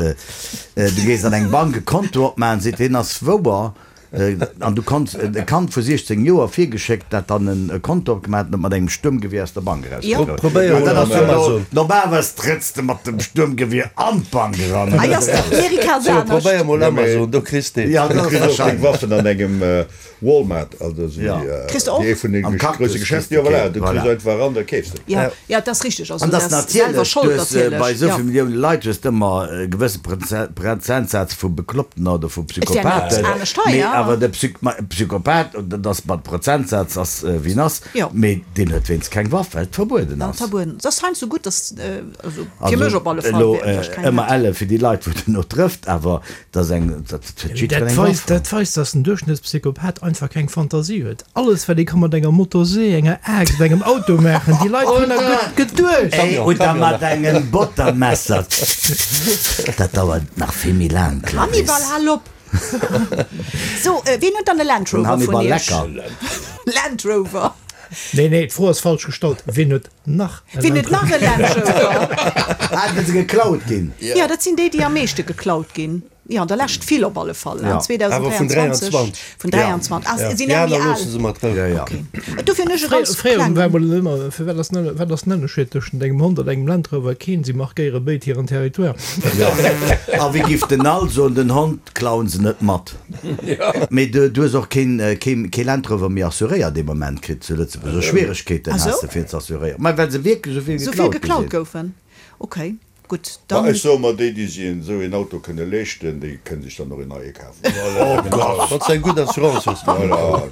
du gees an eng Bank e Konto opmaachen, seet deen ass wouer, An du konns e Kand vu 16 Joer virgeschéckt, dat dann e Konto opgemaach huet an et mat engem Stuermgewier aus der Bank erausgeholl huet. Probéier An mol dat ass jo elo, Amazon. normalerweis trëtts de mat dem Stuermgewier an d'Bank eran. Hei ass Amerika ass So, anescht. probéier mol Amazon, do kriss de et. Ja, Du dat ass kriss och deng wahrscheinlech. Waffen an engem Walmart, also esou Ja. wéi Kriss de och? ee vun den Am Cactus grousse kriss Geschäfter. de Jo, voilà, keen. du kriss Voilà. einfach eran, da keefs de. Ja, ja, dat ass richteg. Also An dat dass ass selwer natierlech, Schold, du hues natierlech. bei esou Ja. vill Millioune Leit hues de ëmmer e gewësse Prozentsaz vu Bekloppten oder vu Et wär net Psychopathen, anescht hei, mee ja. awer de Psy Psychopath, dat ass mat Prozentsaz ass wéi en ass, Jo. mee deen huet wéinst keng Waff, well et verbueden Dann ass. verbueden. Et ass heiansdo gutt, dass, also fir Also mech op alle Fall, elo wär ech keng ëmmer hätt. elle fir déi Leit, wou den no trëfft, awer dat ass eng, dat huet jiddwereen Dat eng weist, Waff. dat weist, dass den Duerchschnëttspsychopath einfach keng Fantasie huet. Alles wat ee ka mat enger Motorsee, enger Aaxt, engem Auto maachen, déi Leit hunn da gutt geduecht. Ey, oder mat engem Bottermesser. Dat dauert nach vill méi laang, Clarisse. Hannibal, hal op! So, wien huet dann e Land Den Rover vun Hannibal iech? Lecker. Land Rover. Nee, nee, d'Fro ass falsch gestallt. Wien huet nach e Wien huet Land nach e Land Rover? Ah, well se geklaut ginn. Jo, dat sinn déi, déi am meeschte geklaut ginn. Jo, an der Lescht vill op alle Fall. Ja. Awer vun 2023. 23. Vun 23. Ah, Ja. sinn Déi eng méi aner al. loosse se mat Rou. Ja, ja. Okay. Dofir hunn ech e ganz Fréier war klengen. mol ëmmer, fir wat ass den, wat ass den Ënnerscheed tëschent engem Hond an engem Land Rover? Keen, si markéiere béid hiren Territoire. Ja. A wéi giff den Al soen, den Hond klauen se net mat. Mee du, du hues och keen, keen, kee Land Rover méi assuréiert dee Moment kritt zu Lëtzebuerg. Esou Schwieregkeeten Ah has sou? de fir ze assuréieren. Mä well se wierklech esou vill Esou vill geklaut gi geklaut sinn. goufen. Okay. Gutt, Ma dann. ech soe mer, déi, déi sech esou een Auto kënne leeschten, déi kënne sech dann och een neie kafen. Oh Gott! Wann s de eng gutt Assurance hues. Voilà.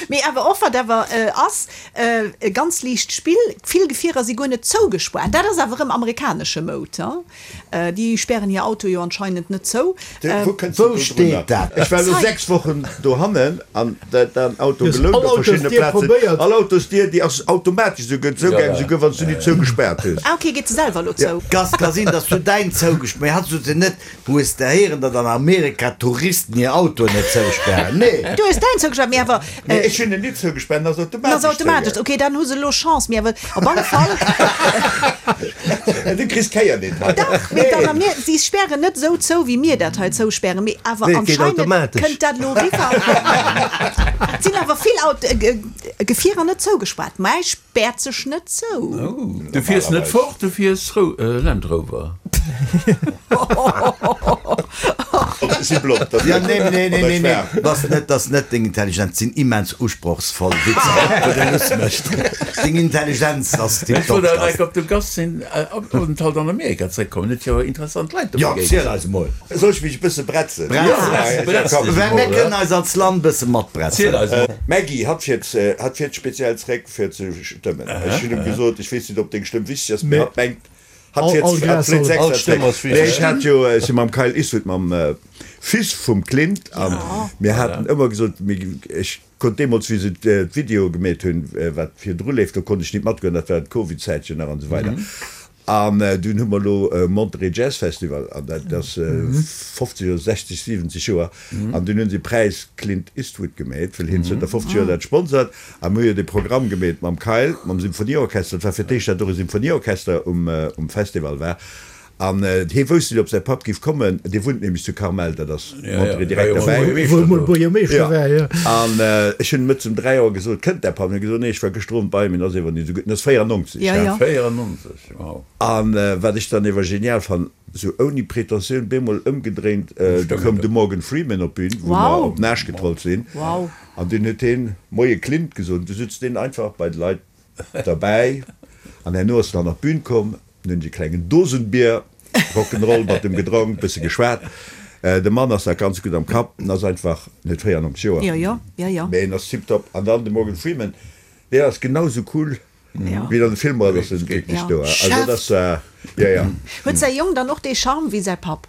Mee awer och, wat awer ass, e ganz liicht Spill, vill Gefierer si guer net zougespaart. Dat ass awer erëm amerikanesche Moud, he? Déi spären hir Autoe jo anscheinend net zou. Wou kënns de Wou do steet drunner? dat? Ech war elo 6 Wochen dohannen an den Auto Du hues gelount all op verschiddene Autosdier Plazen. probéiert. All Autosdier, déi ass automatesch esou gëtt zougaangen, esouguer wann s du déi zougespaart hues. Ah ok, geet se selwer elo zou? Ka ka sinn, dass du däin zougespaart, mee hat sot se net, Hues de héieren, datt an Amerika d'Touristen hir Autoen net zouspären? Nee. Du hues däin zougespaart, mee awer. Nee, ech hunn en nit zougespaart, en ass En automatesch ass automatesch, zougaangen. ok, dann hu se elo Chance, mee awer op alle Fall. Du kriss d'Kéier nit hei. Dach, mee dann a mir, si spären net esou zou, wéi mir dat hei zouspären, mee awer Nee, et geet anscheinend automatesch. kënnt dat elo eriwwer. Et sinn awer vill Aut Gefierer net zougespaart, mä ech. Späert sech net zou. Du fiers net fort, du fiers Land Rover. Si blond, dat Ja, nee, nee, nee, nee, nee. Dat net, dat net deng Intelligenz, sinn immens usprochsvoll Witzer, wou de Luss mécht. Deng Intelligenz ass Ech tiptop. wollt awer enk op de Gast sinn Openthalt an Amerika zréckkommen, huet jo interessant Leit do Jo, begéint. ziel eis emol. Soll ech mech e bësse bretzen? Bretz, Bretz dech well emol, mir kënnen eis als Land bësse matbretzen. Ziel eis emol. Maggie, hatt fiert, hatt fiert speziell zréck fir ze stëmmen. Ech hunn em gesot, ech weess net ob deng Stëmm wichteg ass, mee hatt mengt, hatt fiert, hatt flitt All extra Stëmm zréck. ass Nee, wichteg. ech hat jo, ech si mam Kyle Eastwood, mam Fils vum Clint, a mir haten ëmmer gesot, mir, ech konnt deemools, wéi se d'Videoe gemeet hunn, wat virdru leeft, do konnt ech nit matgoen, dat war d'Covid-Zäitchen nach an esou weider. An dunn hu mer elo Monterey Jazz Festival, an dat ass 50 oder 60, 70 Joer, an dunn hunn se e Präis Clint Eastwood gemeet, well hien zënter 50 Joer dat sponsert. A mir hu jo dee Programm gemeet mam Kyle, mam Symphonieorchester, dat war fir d'éischt, dat och e Symphonieorchester um Festival war. An hie wousst net, ob säi Papp giff kommen, dee wunnt nämlech zu Carmel, dat ass Monterey direkt derbäi. Wou emol Buergermeeschter war, jo. An ech hunn mëttes um 3 Auer gesot, Kënnt däi Papp? An hie huet gesot, Nee, ech war gëschter Owend bei him, en ass ewer net esou gutt, en ass 94, Ja, ja. 94, wow. An wat ech dann ewer genial fannen, sou ouni Pretentioun, bemol ëmgedréint, du koum de Morgan Freeman op d'Bün, wou mer op den Aarsch getrollt sinn, an dunn huet hien Moie Clint gesot, an du sutz deen einfach bei de Leit derbäi, an herno ass en dann op d'Bün komm, Nun hunn ech e klengen Dosenbier, Rock'n'Roll mat em gedronk, bësse geschwat. De Mann ass nach ganz gutt am Kapp, en ass einfach net 94 Joer, mee en ass tiptop. An dann de Morgan Freeman, deen ass genau sou cool wéi en an de Filmer ass, ass en wierklech do. Also dat ass, jo jo. Huet säi Jong dann och dee Charme wéi säi Papp?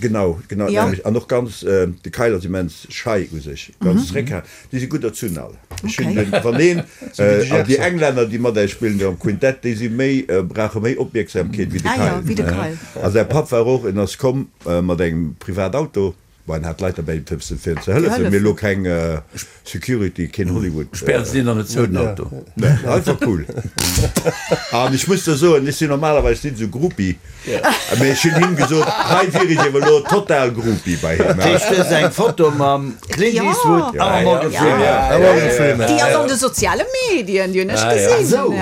Genau, genau d'nämmlecht. An och ganz, de Kyle ass immens schei u sech, ganz zeréckhalend. Déi si gutt erzunn all. Ech hunn den, wann een, an déi Englänner, déi mat äis spillen do am Quintett, déi si méi, brauche méi Opmierksamkeet wéi de Kyle. A säi Papp war och, en ass komm mat engem Privatauto, bon, en hat Leit derbäi, fir fir en ze hëllefen, mee elo keng Security, keen Hollywood. Spären se deen dann net zou, den Auto? Nee, einfach cool. An ech muss der soen, ech sinn normalerweis nit esou Groupie. Mee ech hunn him gesot, hei wier ech ewer elo total Groupie bei him. Dat heescht, du hues eng Foto mam Clint Eastwood a mam Morgan Freeman. Déi ass an de soziale Medien, déi hunn ech gesinn.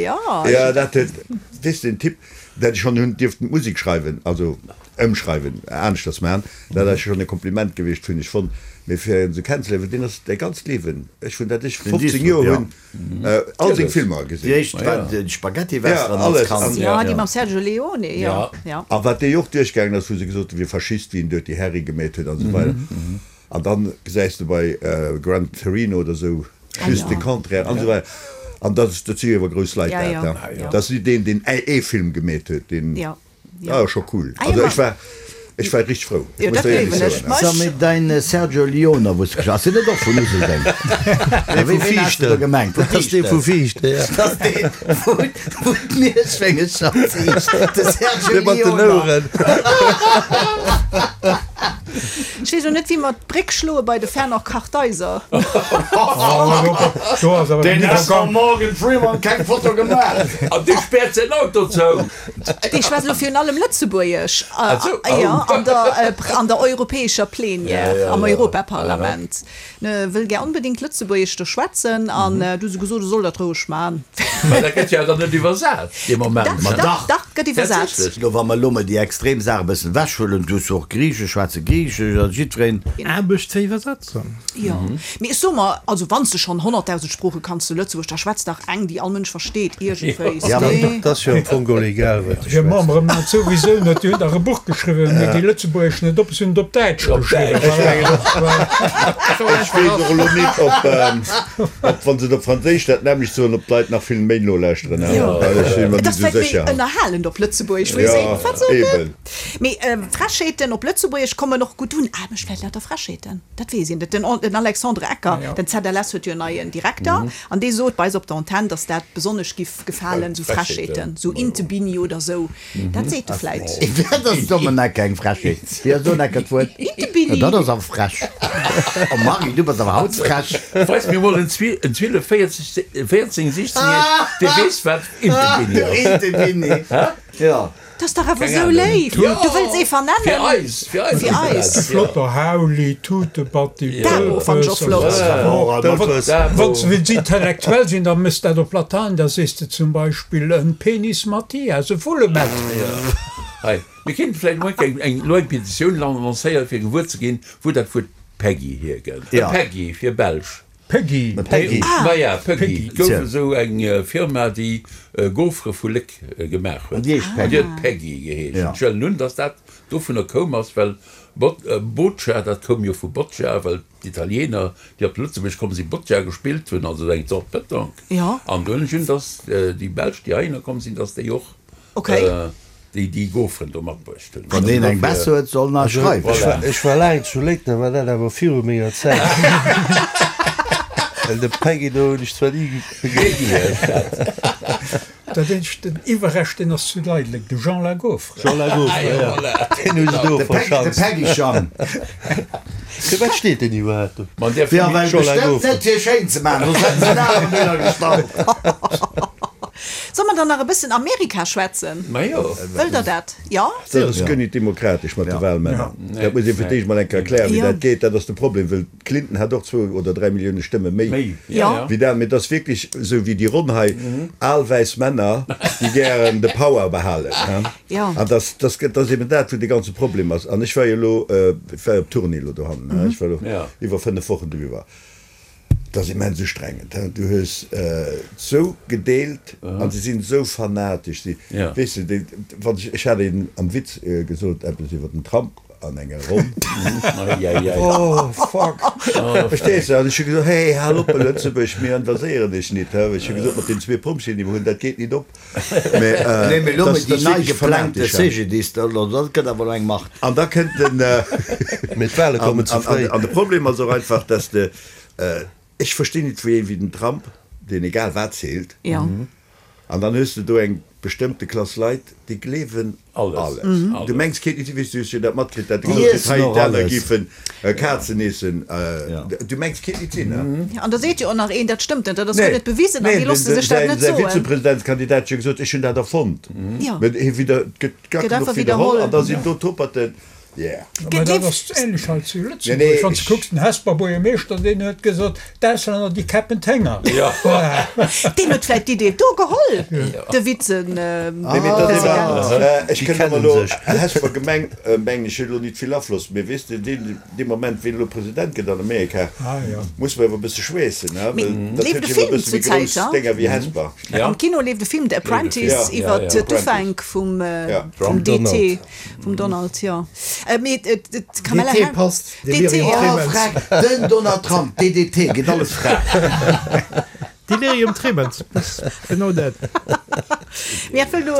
Jo, dat huet, weess de, den Typ, dat ech schonn hunn dierften d'Musek schreiwen, also ëmschreiwen, aneschters maachen, dat ass schonn e Kompliment gewiescht, hunn ech fonnt. Mee fir en esou kennenzeléieren, deen ass däi ganzt Liewen, ech vun dat ech 15 Joer hunn, All seng Filmer gesinn. Déi éischt war den Spaghetti-Western als Kand. Jo, déi mam Sergio Leone, jo, jo. A wat dee och duerchgaangen ass, wou se gesot hunn, wier Faschist, wéi en Dirty Harry gemeet huet an esou weider. An dann gesäis de bei Gran Torino oder esou just de Contraire an esou weider. An dat, dat si jo awer grouss Leit, dat, dat ass nit deen, deen ee Film gemeet huet, deen. Ah, scho cool. Also ech war, ech war richteg frou. Ech muss der éierlech soen. Sag mir, dein Sergio Leone, wou s de geschwat, ass deen net och vun Useldeng? Nee, vu Viichten. Gemengt? Vu Dat ass dee vu Viichten, ja. Dat ass deen, wou, wou d'Mierschwéngecher ziicht, de Sergio Dee mat den Leone. Oueren. Ech weess elo net, wéi mer d'Bréck schloe bei de Fernand Kartheiser. Deen ass mam Morgan Freeman keng Foto gemaach. An dee späert säin Auto zou. Dee schwätzt elo virun allem Lëtzebuergesch, jo, an der, an der europäescher Plenière, am Europaparlament. En wëll gär onbedéngt Lëtzebuergesch do schwätzen an du hu se gesot, e soll dat roueg man. Mä dat gëtt jo dann net iwwersat dee Moment. Dach, dach, dach, gëtt iwwersat. Lo, wa mer elo mol déi extrem Saach e bëssen ewechhuelen, du hues jo och Griichesch, schwätze Griichesch. jiddwereen. Aarbecht ze iwwersetzen. Jo, mee ech soe mer, also wann s de schonn 100.000 Sprooche kanns zu Lëtzebuerg, da schwätz dach eng, déi all Mënsch versteet, iergendwéi. Ja, mä dat ass jo am Fong och egal, wat de Hir schwätzt. Membere maachen et souwisou net. Déi hunn dach e Buch geschriwwen, mee déi Lëtzebuergesch net op, se hunn et op Däitsch geschriwwen. Ech mengen och, ech weess och elo net, ob, ob wa se et op Franséisch dat nämmlecht soen, ob d'Leit nach vill méi nolauschteren. Jo, Ech si mer et net ass esou vläicht méi sécher. ënnerhalend op Lëtzebuergesch, wou ee seet, Wat sot en? Eben. Mee Frechheeten op Lëtzebuergesch kommen och gutt un. Ah, mécht vläicht lauter Frechheeten, dat weess een net. Den Alexandre Ecker, den ZLS huet jo en neien Direkter, an dee sot bei eis op der Antenn, datt dat besonnesch giff gefalen, sou Frechheeten, sou Intebini oder sou, dat seet e vläicht. Dat ass dommen Ecker, eng Frechheet. Wéi ass do Ecker d'Wuert? Intebini. Dat ass awer frech. Oh Marie, du bass awer haut frech. Weis mir mol en 12, 14, 16 Jähregen, dee weess wat Intebini ass. Intebini, jo. Dat ass dach awer esou léif. Du wëlls ee vernennen. Fir eis, fir eis Fir eis. E flotter Hauli, Tutebatti, Dabo fann ech och flott. Dëlpes. Wann s de wëlls intellektuell sinn, da mëss dat op Latein, da sees de zum Beispill en Penis Mathias, e Vullemett. Hei, mir kéinten vläicht emol eng eng elo eng Petitioun lancéieren, fir gewuer ze ginn, wou dat Wuert Peggy hierkënnt. E Peggy fir Belsch. Peggy. Peggy. Maja, Peggy. Et gouf esou eng Firma, déi Gaufre vu Léck gemaach huet. An déi heescht An déi huet Peggy geheescht. Ech huelen un, dass dat dovunner koum ass, well Boccia, dat koum jo vu Boccia, well d'Italiener, déi op Lëtzebuerg komm sinn, Boccia gespillt hunn, also eng Zort Petanque. An do hunn ech un, dass déi Belsch, déi heihinner komm sinn, dass déi och Déi déi Gaufren do matbruecht hunn. Wann een eng besser huet, soll en eis schreiwen. Ech war laang zu Léck, da war dat awer viru menger Zäit. Well de Peggy do hunn ech zwar ni begéint. Dat eenzegt, den Iwwerrescht, deen ass zu Leideleng, de Jean La Gaufre. Jean La Gaufre, jo, deen hu se do De verschanzt. Peggy Jean. Fir wat steet deen iwwerhaapt do? Ma där Ja, well Jean La bestëmmt Gaufre. net fir schéin ze maachen, soss hätten se en aneren dohinner gestallt. Solle mer dann nach e bëssen Amerika schwätzen? Majo. Wëllt Der dat? Jo? Dat ass guer nit demokratesch mat de Wahlmänner. Dat muss ee fir d'éischt mol eng Kéier erklären, wéi dat geet. Dat ass de Problem, well d'Clinton hat och zwou oder 3 Millioune Stëmme méi wéi dat. Mee et ass wierklech esou wéi déi Ronn hei, al wäiss Männer, déi gären de Power behalen. An dat ass eben dat, wou de ganze Problem ass. An ech war jo elo, ech war jo op Tournée elo dohannen, ech war elo iwwer 5 Wochen doiwwer. Et ass immens ustrengend. Du hues sou gedeelt an se sinn esou fanatesch. Si, weess de, déi, wann ech, ech hat een am Witz gesot eppes iwwer den Trump an enger Ronn. Oh fuck! Verstees de? An ech hu gesot, hey, hal op, Lëtzebuerg, mir invaséieren dech nit. Ech hu gesot, mat den zwee Pompjeeën, déi mer hunn, dat geet nit op. Nee, mee elo met déi nei geplangte CGDIS, dat gëtt awer elo eng Macht. An da kënnt den. Mee d'Wahle kommen ze fréi. An de Problem ass och einfach, dass de, ech verstinn nit, wéi ee wéi den Trump, deen egal wat zilt, an dann hues de do eng bestëmmte Klass Leit, déi gleewen alles. Du mengs kéint nit sinn, wéi s du hues jo dat matkritt, dat e gesot huet, hei d'aner géifen Kazen eessen. Du mengs kéint nit sinn, ne? An da seet jo och nach een, dat stëmmt net, dat ass guer net bewisen, an déi loosse sech dat net Säi soen. Vizepresidentskandidat huet jo gesot, ech hunn dat erfonnt. Mä hie widder, et gëtt gar Gëtt genuch einfach widderholl, widderholl. an da sinn do Toperten, yeah. Mä dat ass ähnlech hei zu Lëtzebuerg. Wann s de kucks, den Hesper Buergermeeschter, deen huet gesot, d'Auslänner, déi käppen d'Hénger. Deen huet vläicht d'Idee do geholl, de Vizepresident. Nee, mee dat ass egal. Ech kënnt awer elo, Hesper Gemeng, mengen ech, huet elo nit vill Afloss, mee weess de, deen, dee Moment, ween elo President gëtt an Amerika, muss mer awer e bësse schweessen, he, well dat Leeft huet e jo awer e Film bësse méi zur Zäit, grouss he? Dénger wéi Hesper. Am Kino leeft e Film, The Apprentice, iwwer d'Ufänk vum, vum DT, vum Donald, jo. Mee d'Kamala DT Harris. passt, DT, Delirium jo. Tremens. Freck, den Donald Trump, DDT, geet alles frei. Delirium Tremens, genau dat. Mee et wëll elo,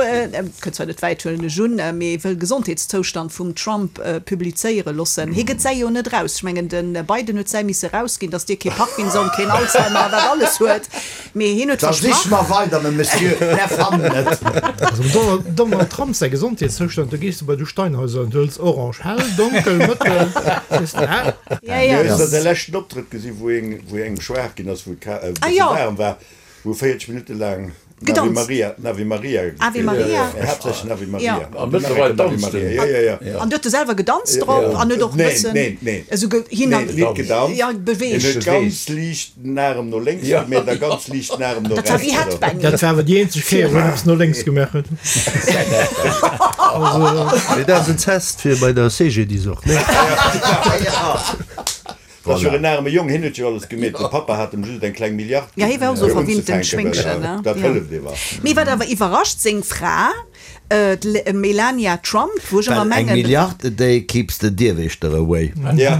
kënnt zwar net wäit, huelen ech un, mee wëll Gesondheetszoustand vum Trump publizéiere loossen. Hie gëtt säi jo net eraus. Ech mengen, de Biden huet säi misse erausginn, datt dee kee Parkinson, keen Alzheimer a wat alles huet. Mee hien huet Da sich versprach. mer weider, mme Monsieur, mär fannen et. Also dem Donald Trump säi Gesondheetszoustand, do gees de bei de Steinhäuser an du hëls orange, hell, donkel, mëttel, weess de, hä? Ja, ja. Hues de säi leschten Optrëtt gesinn, wou engem schwaach ginn ass, wou et e Ah bësse jo. waarem war, wou e 40 Minutte laang. Ave Maria, Ave Maria gespillt. Ave Maria. Haaptsächlech den Ave Maria. A mëttlerweil danzt en. Ja, ja, ja. An huet e selwer gedanzt drop an huet och e bëssen. Neen, neen, neen. Esou ge, hin an. Neen, nit gedanzt. Ja, beweegt. En huet ganz liicht den Arem no lénks gemeet a ganz liicht den Arem no Dat war rechts. wéi Headbanging. Dat war awer déi eenzeg Kéier, wou en eppes no lénks gemaach huet. Mee dat ass en Test fir bei der CGDIS och, nee? Dat ass jo en aarme Jong, hien huet jo alles gemeet, de Pappa hat em just eng kleng Milliard Ja, hie war och ginn esou fir verwinntent unzefänken, Schwéngchen, well ne? dat Ja. hëlleft ewer. Mee wat awer iwwerrascht, seng Fra, d'Melania Trump, wou ech ëmmer Well eng mengen. Milliard a day keeps the Dierwächter away. Ja.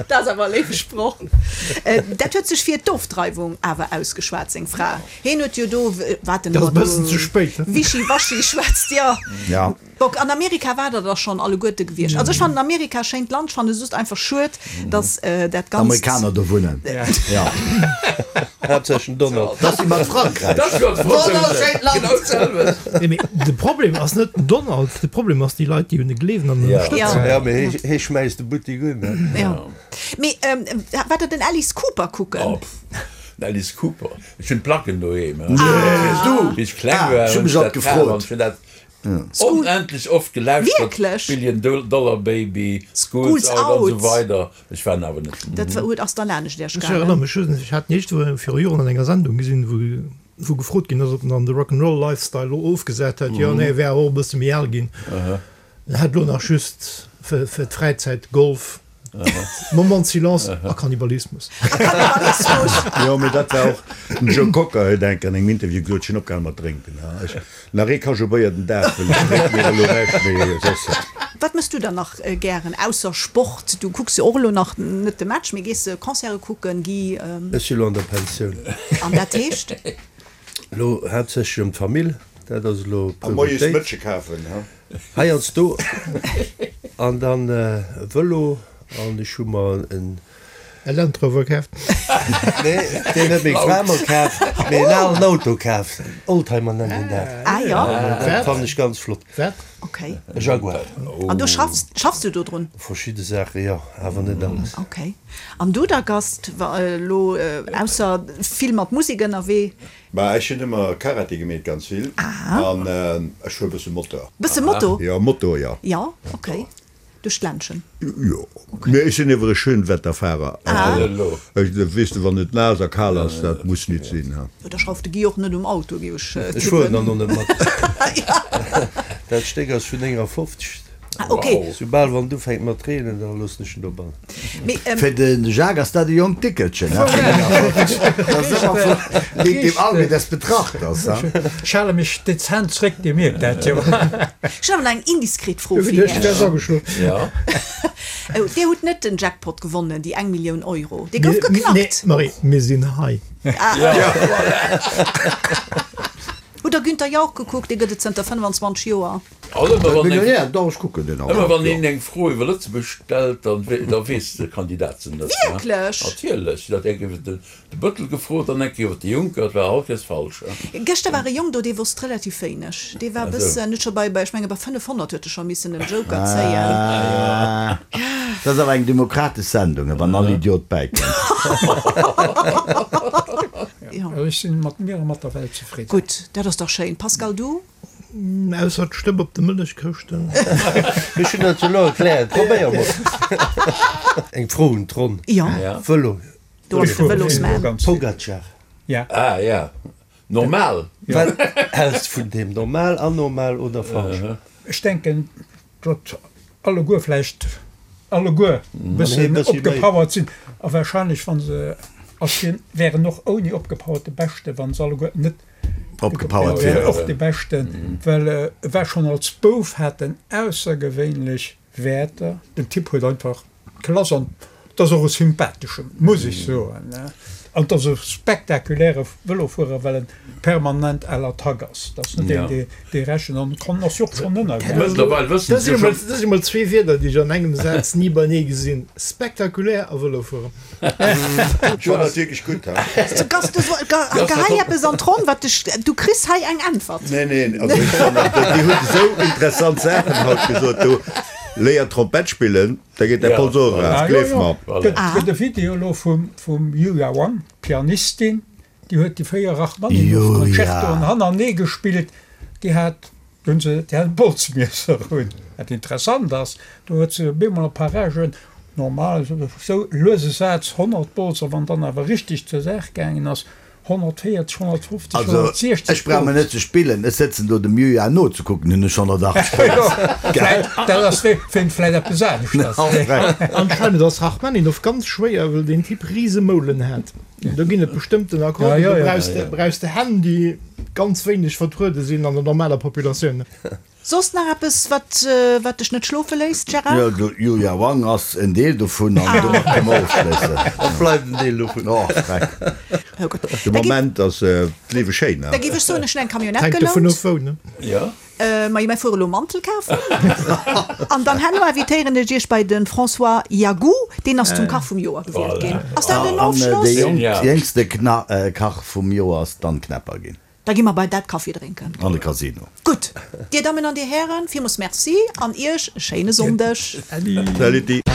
Dat ass awer e léiwe Sproch. Dat huet sech fir d'Ofdreiwung awer ausgeschwat, seng Fra. Hien huet jo do, wat en Dat ass ëmmer e bëssen do ze spéit, ne? wischiwaschi schwätzt, jo. Ja. Bock, an Amerika war der der schon alleguerte gewiescht. Also ech fannen Amerika schéint Land, ech fannen et just einfach schued, dass dat ganzt. D'Amerikaner do wunnen, jo. Haaptsächlech den Donald. Dat ass wéi mat Frankräich. Wonnerschéint Land! Nee, mee de Problem ass net den Donald, de Problem ass déi Leit, déi un e gleewen an en ënnerstëtzen. Ja, mee hee schmäisst de Buttik un, ne? Jo. Mee waart der den Alice Cooper kucken? Oh, pff, den Alice Cooper. Ech hunn d'Placken doheem. Du! Wéi ech kleng war, Ech hu hunn mech ech alt dat kaf an gefrot. ech hunn dat Onendlech oft gelauschtert, Wierklech? Billion Dollar Baby, School's School's Out an Out. esou weider. Ech war awer net. Dat war, huet ass dann anescht Iech Ech erënnere gaangen. mech just, ech hat d'nächst Woch viru Joren an enger Sendung gesinn, wou wou gefrot ginn ass, ob en dann de Rock'n'Roll Lifestyle elo ofgesat hätt. Jo, nee, e wär awer och e bësse méi al ginn. En hätt elo nach just fir fir d'Fräizäit Golf. Moment silence a Kannibalismus. A Kannibalismus! Jo, mee dat war och, den Joe Cocker huet enk an engem Interview gesot, ech hunn opgehal mat drénken. Ech, nach ee Kajou Béier den Dag, well ech drénke mir elo näischt méi soss. Wat mëss du dann nach gären ausser Sport? Du kucks jo och elo nach net de Match, mee gees Concerte kucken, Guy? Ech si lo an der Pensioun. An dat heescht? Elo haaptsächlech ëm d'Famill, dat ass elo A moies Prioritéit. Mëtsche kafen, ha? Heiansdo an dann Vëlo an ech hu mer en. E Land Rover kaaft? Nee, deen huet meng Fra mer kaaft, mee en alen Auto kaaft. Oldtimer nennt een dat. Ah jo. Dat fannen ech ganz flott. Wat? Ok. E Jaguar. An du schaffs, schaffs du dodrun? Verschidde Saache jo, awer net alles. Ok. An du da Gast, elo ausser vill mat Musek ënnerwee? Bah ech hunn ëmmer Karate gemeet, ganz vill, an ech fuer bësse Motor. Bësse Moto? Jo, Moto, jo. Jo, ok. Duerch d'Ländchen? Jo, mee ech sinn ewer e Schönwetterfahrer. Also ech, weess de, wann et naass a kal ass, dat muss nit sinn, ha. Jo, da schrauft de Guy och net um Auto, géif ech tippen. Ech fueren dann och net mat. Dat Stéck ass vun 59. Ah, ok. Soubal wann et ufänkt mat reenen, da loossen ech en dobannen. Mee, ähm. Fir de Jacques ass dat e jonkt Dickelchen, he? Dat ass ëmmer vun dem dem Auge des Betrachters, he? Ech hale mech dezent zréck, Dir mierkt dat jo. Ech hunn awer nach eng indiskret Fro fir Iech. Dir hutt net den Jackpot gewonnen, déi eng Millioun Euro. Dee gouf geknackt. Nee, Marie, mir sinn hei. Hutt Der Günther Jauch gekuckt? Dee gëtt et zënter 25 Joer. Ëmmer wann een eng Fro iwwer Lëtzebuerg stellt, da weess de Kandidat se net. Wierklech? Natierlech. Dat eng Kéier de Bëttel gefrot an eng Kéier iwwer de Juncker, et war all Kéiers falsch. Gëschter war e Jong do, dee wosst relativ wéineg. Dee war e bëssen, huet scho bei, ech menge bei 500 huet e scho missen en Joker zéien. Dat ass awer eng demokratesch Sendung, wann all Idiot bäikënnt. Ech sinn mat mir a mat der Welt zefridden. Gutt, dat ass dach schéin. Pascal, du? Ausser d'Stëpp op de Mëllechkëschten. Ech hunn dat jo elo erkläert. Probéier mol. Eng Fro un d'Ronn. Jo. Vëlo. Do ass de Vëlosman. Pogacar. Ja. Ah ja. Normal. Wat häls de vun deem? Normal, anormal oder falsch? Ech denken, datt alleguer vläicht alleguer e bëssen opgepowert sinn a wahrscheinlech, wa se, ass hien, wär en och ouni opgepowert de Beschte, wa se alleguer net Opgepowert wieren. Och de Beschten, well e war schonn als Bouf, hat en aussergewéinlech Wäerter. Den Typ huet einfach Klass an et ass och e sympatheschen, muss ech soen. An et ass e spektakuläre Vëlofuerer, well en permanent à l'attaque ass. Et ass net een, dee dee rechent an kann ass jo och schonn ënnergaangen. Mëttlerweil wëssen Dat se jo schonn. si mol zwee Wierder, déi ech an engem Saz ni beinee gesinn, spektakulär a Vëlofueren. Ech fannen dat wierklech gutt, ha. Gast, du gehei eppes an d'Ronn, wat dech, du kriss hei eng Äntwert. Nee, neen, also ech fannen, déi hunn esou interessant Saachen haut gesot do. Léier Trompett spillen, da geet däi Pols och eraf, gleef mer. Gëtt e Video elo vum Yuya Wang, Pianistin. Déi huet déi 4 Rachmaninoff-Concertoen hannerenee gespillt. Déi hat, do hunn se, déi hat e Bolzmiesser un. Wat interessant ass, do huet se op eemol a Paragen, normal esou luese Saz, 100 Bolz, a wann dann awer richteg zur Saach gaangen ass, 140, 150, Also, 160 ech brauch mer Bolz. net ze spillen, ech sëtzen do dem Julia nozekucken, hunn ech 180 Bolz. Gell? Dat ass wéint vläit eppes aneschters. Anscheinend ass Rachmaninoff ganz schwéier, well deen Typ rise Moulen hat. Do ginn et bestëmmten Akkorden, do brauchs de, brauchs de Hänn, déi ganz wéineg vertruede sinn an der normaler Populatioun. Soss nach eppes, wat, wat dech net schlofe léisst, Gérard? Jo, de Yuya Wang ass en Deel dovun an domat kënne mer ofschléissen. A bleift en Deel dovun. Och, Dreck. Oh Gott. De Moment ass d'Liewe schéin, Da géif ech soen, ech hunn eng Camionnette Hänkt dovun gelount. of wou, ne? Jo. Majo, mir fuere lo Mantel kafen. An dann herno invitéieren ech iech bei de François Jagou, deen ass zum Kach vum Joer gewielt ginn. Ass dat en An Ofschloss? dee jéngste Kach vum Joer ass d'Anne Knepper ginn. Da gi mer bei dat Kaffi drénken. An de Casino. Gutt, Dir Dammen an Dir Hären, villmools Merci an Iech e schéine Sonndeg. Salut.